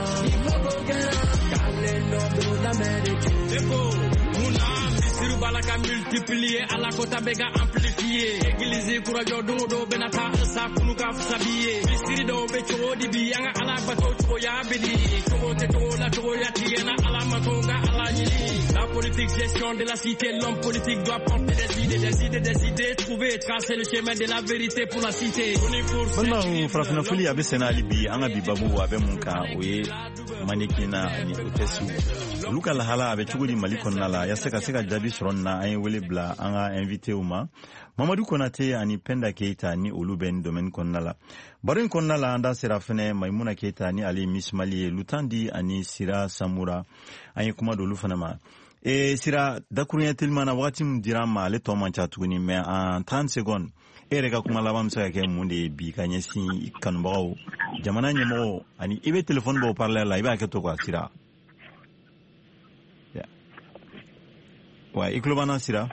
multiplier ala kota bɛ ka amplifier église kurajɔ don o don bɛna taa sa kunu ka fisa bi ye misiri dɔw bɛ cogo di bi an ka ala bato cogoya bɛ di cogo tɛ cogo la cogoya tigɛ na ala ma to ka ala ɲini. La politique gestion de la cité, l'homme politique doit porter des idées, des idées, des idées, trouver, tracer le chemin de la vérité pour la cité. Balimaw, farafinna foli a bɛ senna hali bi. An ka bi babu a bɛ mun kan? O ye mannequin ani hôtesse, olu ka lahala a bɛ cogo di Mali kɔnɔna la? Yaasa ka se ka jaabi sɔrɔ nin na, an ye wele bila an ka invitéw ma, Mamadu Konate ani Penda Keita, ni olu bɛ nin domaine kɔnɔna la. Baro in kɔnɔna la, an da sera fɛnɛ Maimuna Keita, ni ale ye Miss Mali ye, Lutandi ani Sira Samura, an ye kuma d'olu fana ma. E Sira, dakuruɲɛ teliman na, wagati min dira an ma, ale tɔ man ca tuguni, mais en trente secondes, e yɛrɛ ka kuma laban bɛ se ka kɛ mun de ye bi ka ɲɛsin kanubagaw, jamana ɲɛmɔgɔw, ani i bɛ téléphone bɔ parleur la, i b'a kɛ to quoi? Sira, ouais, i tulo b'an na, Sira?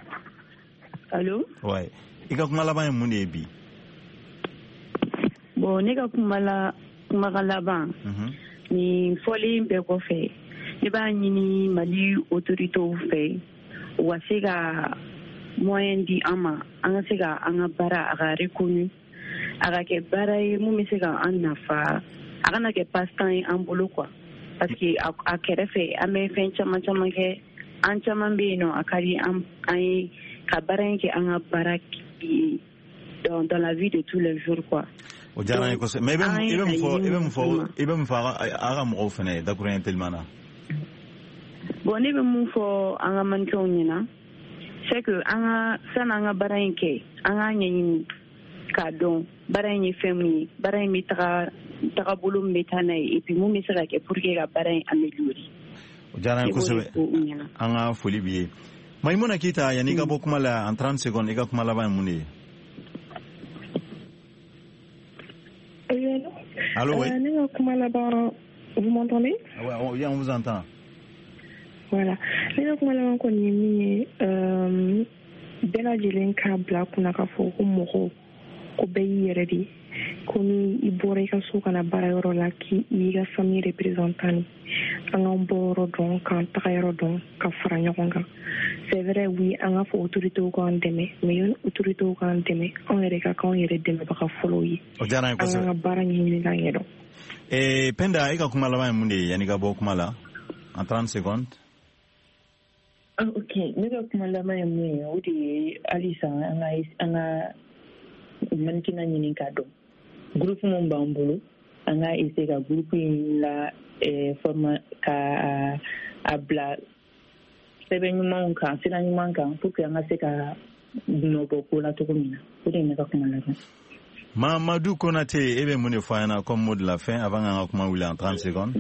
Allo? Ouais, i ka kuma laban ye mun de ye bi? Bon, ne ka kuma la kumakan laban, nin fɔlen bɛɛ kɔfɛ, ne b'a ɲini Mali autorités fɛ, u ka se ka moyen di an ma, an ka se ka an ka baara a ka reconnu, a ka kɛ baara ye mun bɛ se ka an nafa, a kana kɛ passe-temps ye an bolo quoi, parce que a, a kɛrɛfɛ an bɛ fɛn caman caman kɛ. An caman bɛ yen nɔ, a ka di an an ye ka baara in kɛ an ka baara ye dans, dans la vie de tous les jours quoi. O diyara an ye kosɛbɛ, mais i bɛ mun i bɛ mun fɔ i bɛ mun fɔ i bɛ mun fɔ a ka mɔgɔw fana ye dakuruɲɛ teliman na? Bon, ne bɛ mun fɔ an ka mannequinw ɲɛna, c'est que an ka sani an ka baara in kɛ, an k'a ɲɛɲini k'a dɔn baara in ye fɛn min ye, baara in bɛ taga tagabolo min bɛ taa n'a ye, et puis mun bɛ se ka kɛ pour que ka baara in améliorer. O diyara an ye kosɛbɛ, an ka foli b'i ye. Maimuna Keita, yanni i ka bɔ kuma la, en trente secondes, i ka kuma laban ye mun de ye? Allô, oui. Euh, ne ka kuma laban, vous m'entendez? Ouais, on, on vous entend. Voilà. Ne ka kuma laban kɔni ye min ye, bɛɛ lajɛlen k'a bila kunna k'a fɔ ko mɔgɔ ko bɛɛ y'i yɛrɛ de ye, ko ni i bɔra i ka so ka na baarayɔrɔ la, k'i y'i ka famille représentant de. An k'an bɔyɔrɔ dɔn, k'an tagayɔrɔ dɔn, ka fara ɲɔgɔn kan. C'est vrai, oui, an k'a fɔ autorités k'an dɛmɛ, mais yanni autorités k'an dɛmɛ, anw yɛrɛ ka k'anw yɛrɛ dɛmɛbaga fɔlɔw ye. O diyara an ye kosɛbɛ. An k'an ka baara ɲɛɲini k'an ɲɛdɔn. Eh, Penda, e ka kuma laban ye mun de ye yanni ka bɔ kuma la en trente secondes? Ah, ok, ne ka kuma laban ye mun ye, o de ye halisa an ka an ka mannequinat ɲini k'a dɔn. Groupe mun b'an bolo, an ka essayer ka groupe in la eh, forma ka a bila sɛbɛn ɲumanw kan, sira ɲuman kan, pour que an ka se ka nɔ bɔ ko la cogo min na. O de ye ne ka kuma laban. Mamadou Konate, e bɛ mun de fɔ an ɲɛna comme mot de la fin avant k'an ka kuma wuli en trente secondes?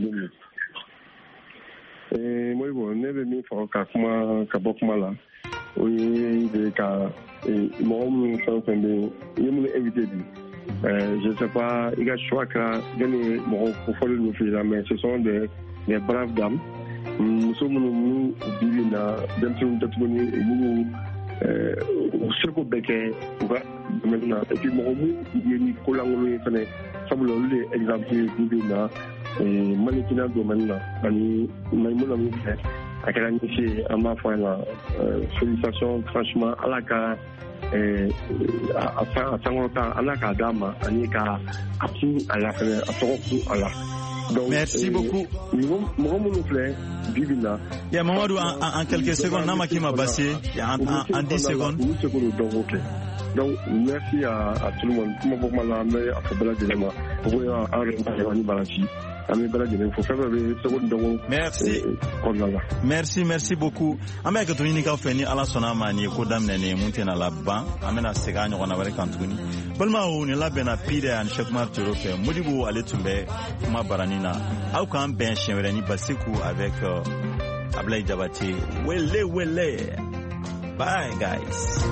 Eh, Modibo, ne bɛ min fɔ ka kuma ka bɔ kuma la, o ye de ka mɔgɔ minnu fɛn o fɛn bɛ yen, i ye minnu invité bi, je sais pas i ka choix kɛra jɔnni ye, mɔgɔ kofɔlen ninnu f'i la, mais ce sont des des braves dames, muso minnu n'u bi bi in na denmisɛnninw tɛ tuguni, minnu u seko bɛɛ kɛ u ka domaine na, et puis mɔgɔ mun ye ni kolankolon ye fɛnɛ, sabula olu de ye exemple ye bi bi in na mannequinat domaine na. Ani Maimuna min fɛ, a kɛra ni se ye, an b'a fɔ a ɲɛna félicitations, franchement, ala ka a sankɔrɔta, ala k'a d'a ma, ani ka a kun a la fɛnɛ, a tɔgɔ kun a la. Donc, merci beaucoup. Mɔgɔ minnu filɛ bi bi na. Ya Mamadou, en, en quelques secondes, n'a ma k'i ma baasi ye, en, en, en dix secondes. Olu se k'o dɔn k'o kɛ. Donc merci à, à tout le monde. Kuma bɔ kuma la, an bɛ a fɔ bɛɛ lajɛlen ma. O ko an yɛrɛ ni baraji. An bɛ bɛɛ lajɛlen fo, fɛn fɛn bɛ seko ni dɔnko Merci. kɔnɔna la. Merci, merci beaucoup. An bɛ hakɛto ɲini k'aw fɛ, ni Ala sɔnna a ma, nin ye ko daminɛ nin ye mun tɛna laban. An bɛna segin a ɲɔgɔnna wɛrɛ kan tuguni. Balimaw, nin labɛnna Pire ani Cheikh Umar Toro fɛ. Modibo ale tun bɛ kuma baranin na. Aw k'an bɛn siɲɛ wɛrɛ ni Basiku avec euh, Ablaye Diabaté. Wele wele. Bye guys.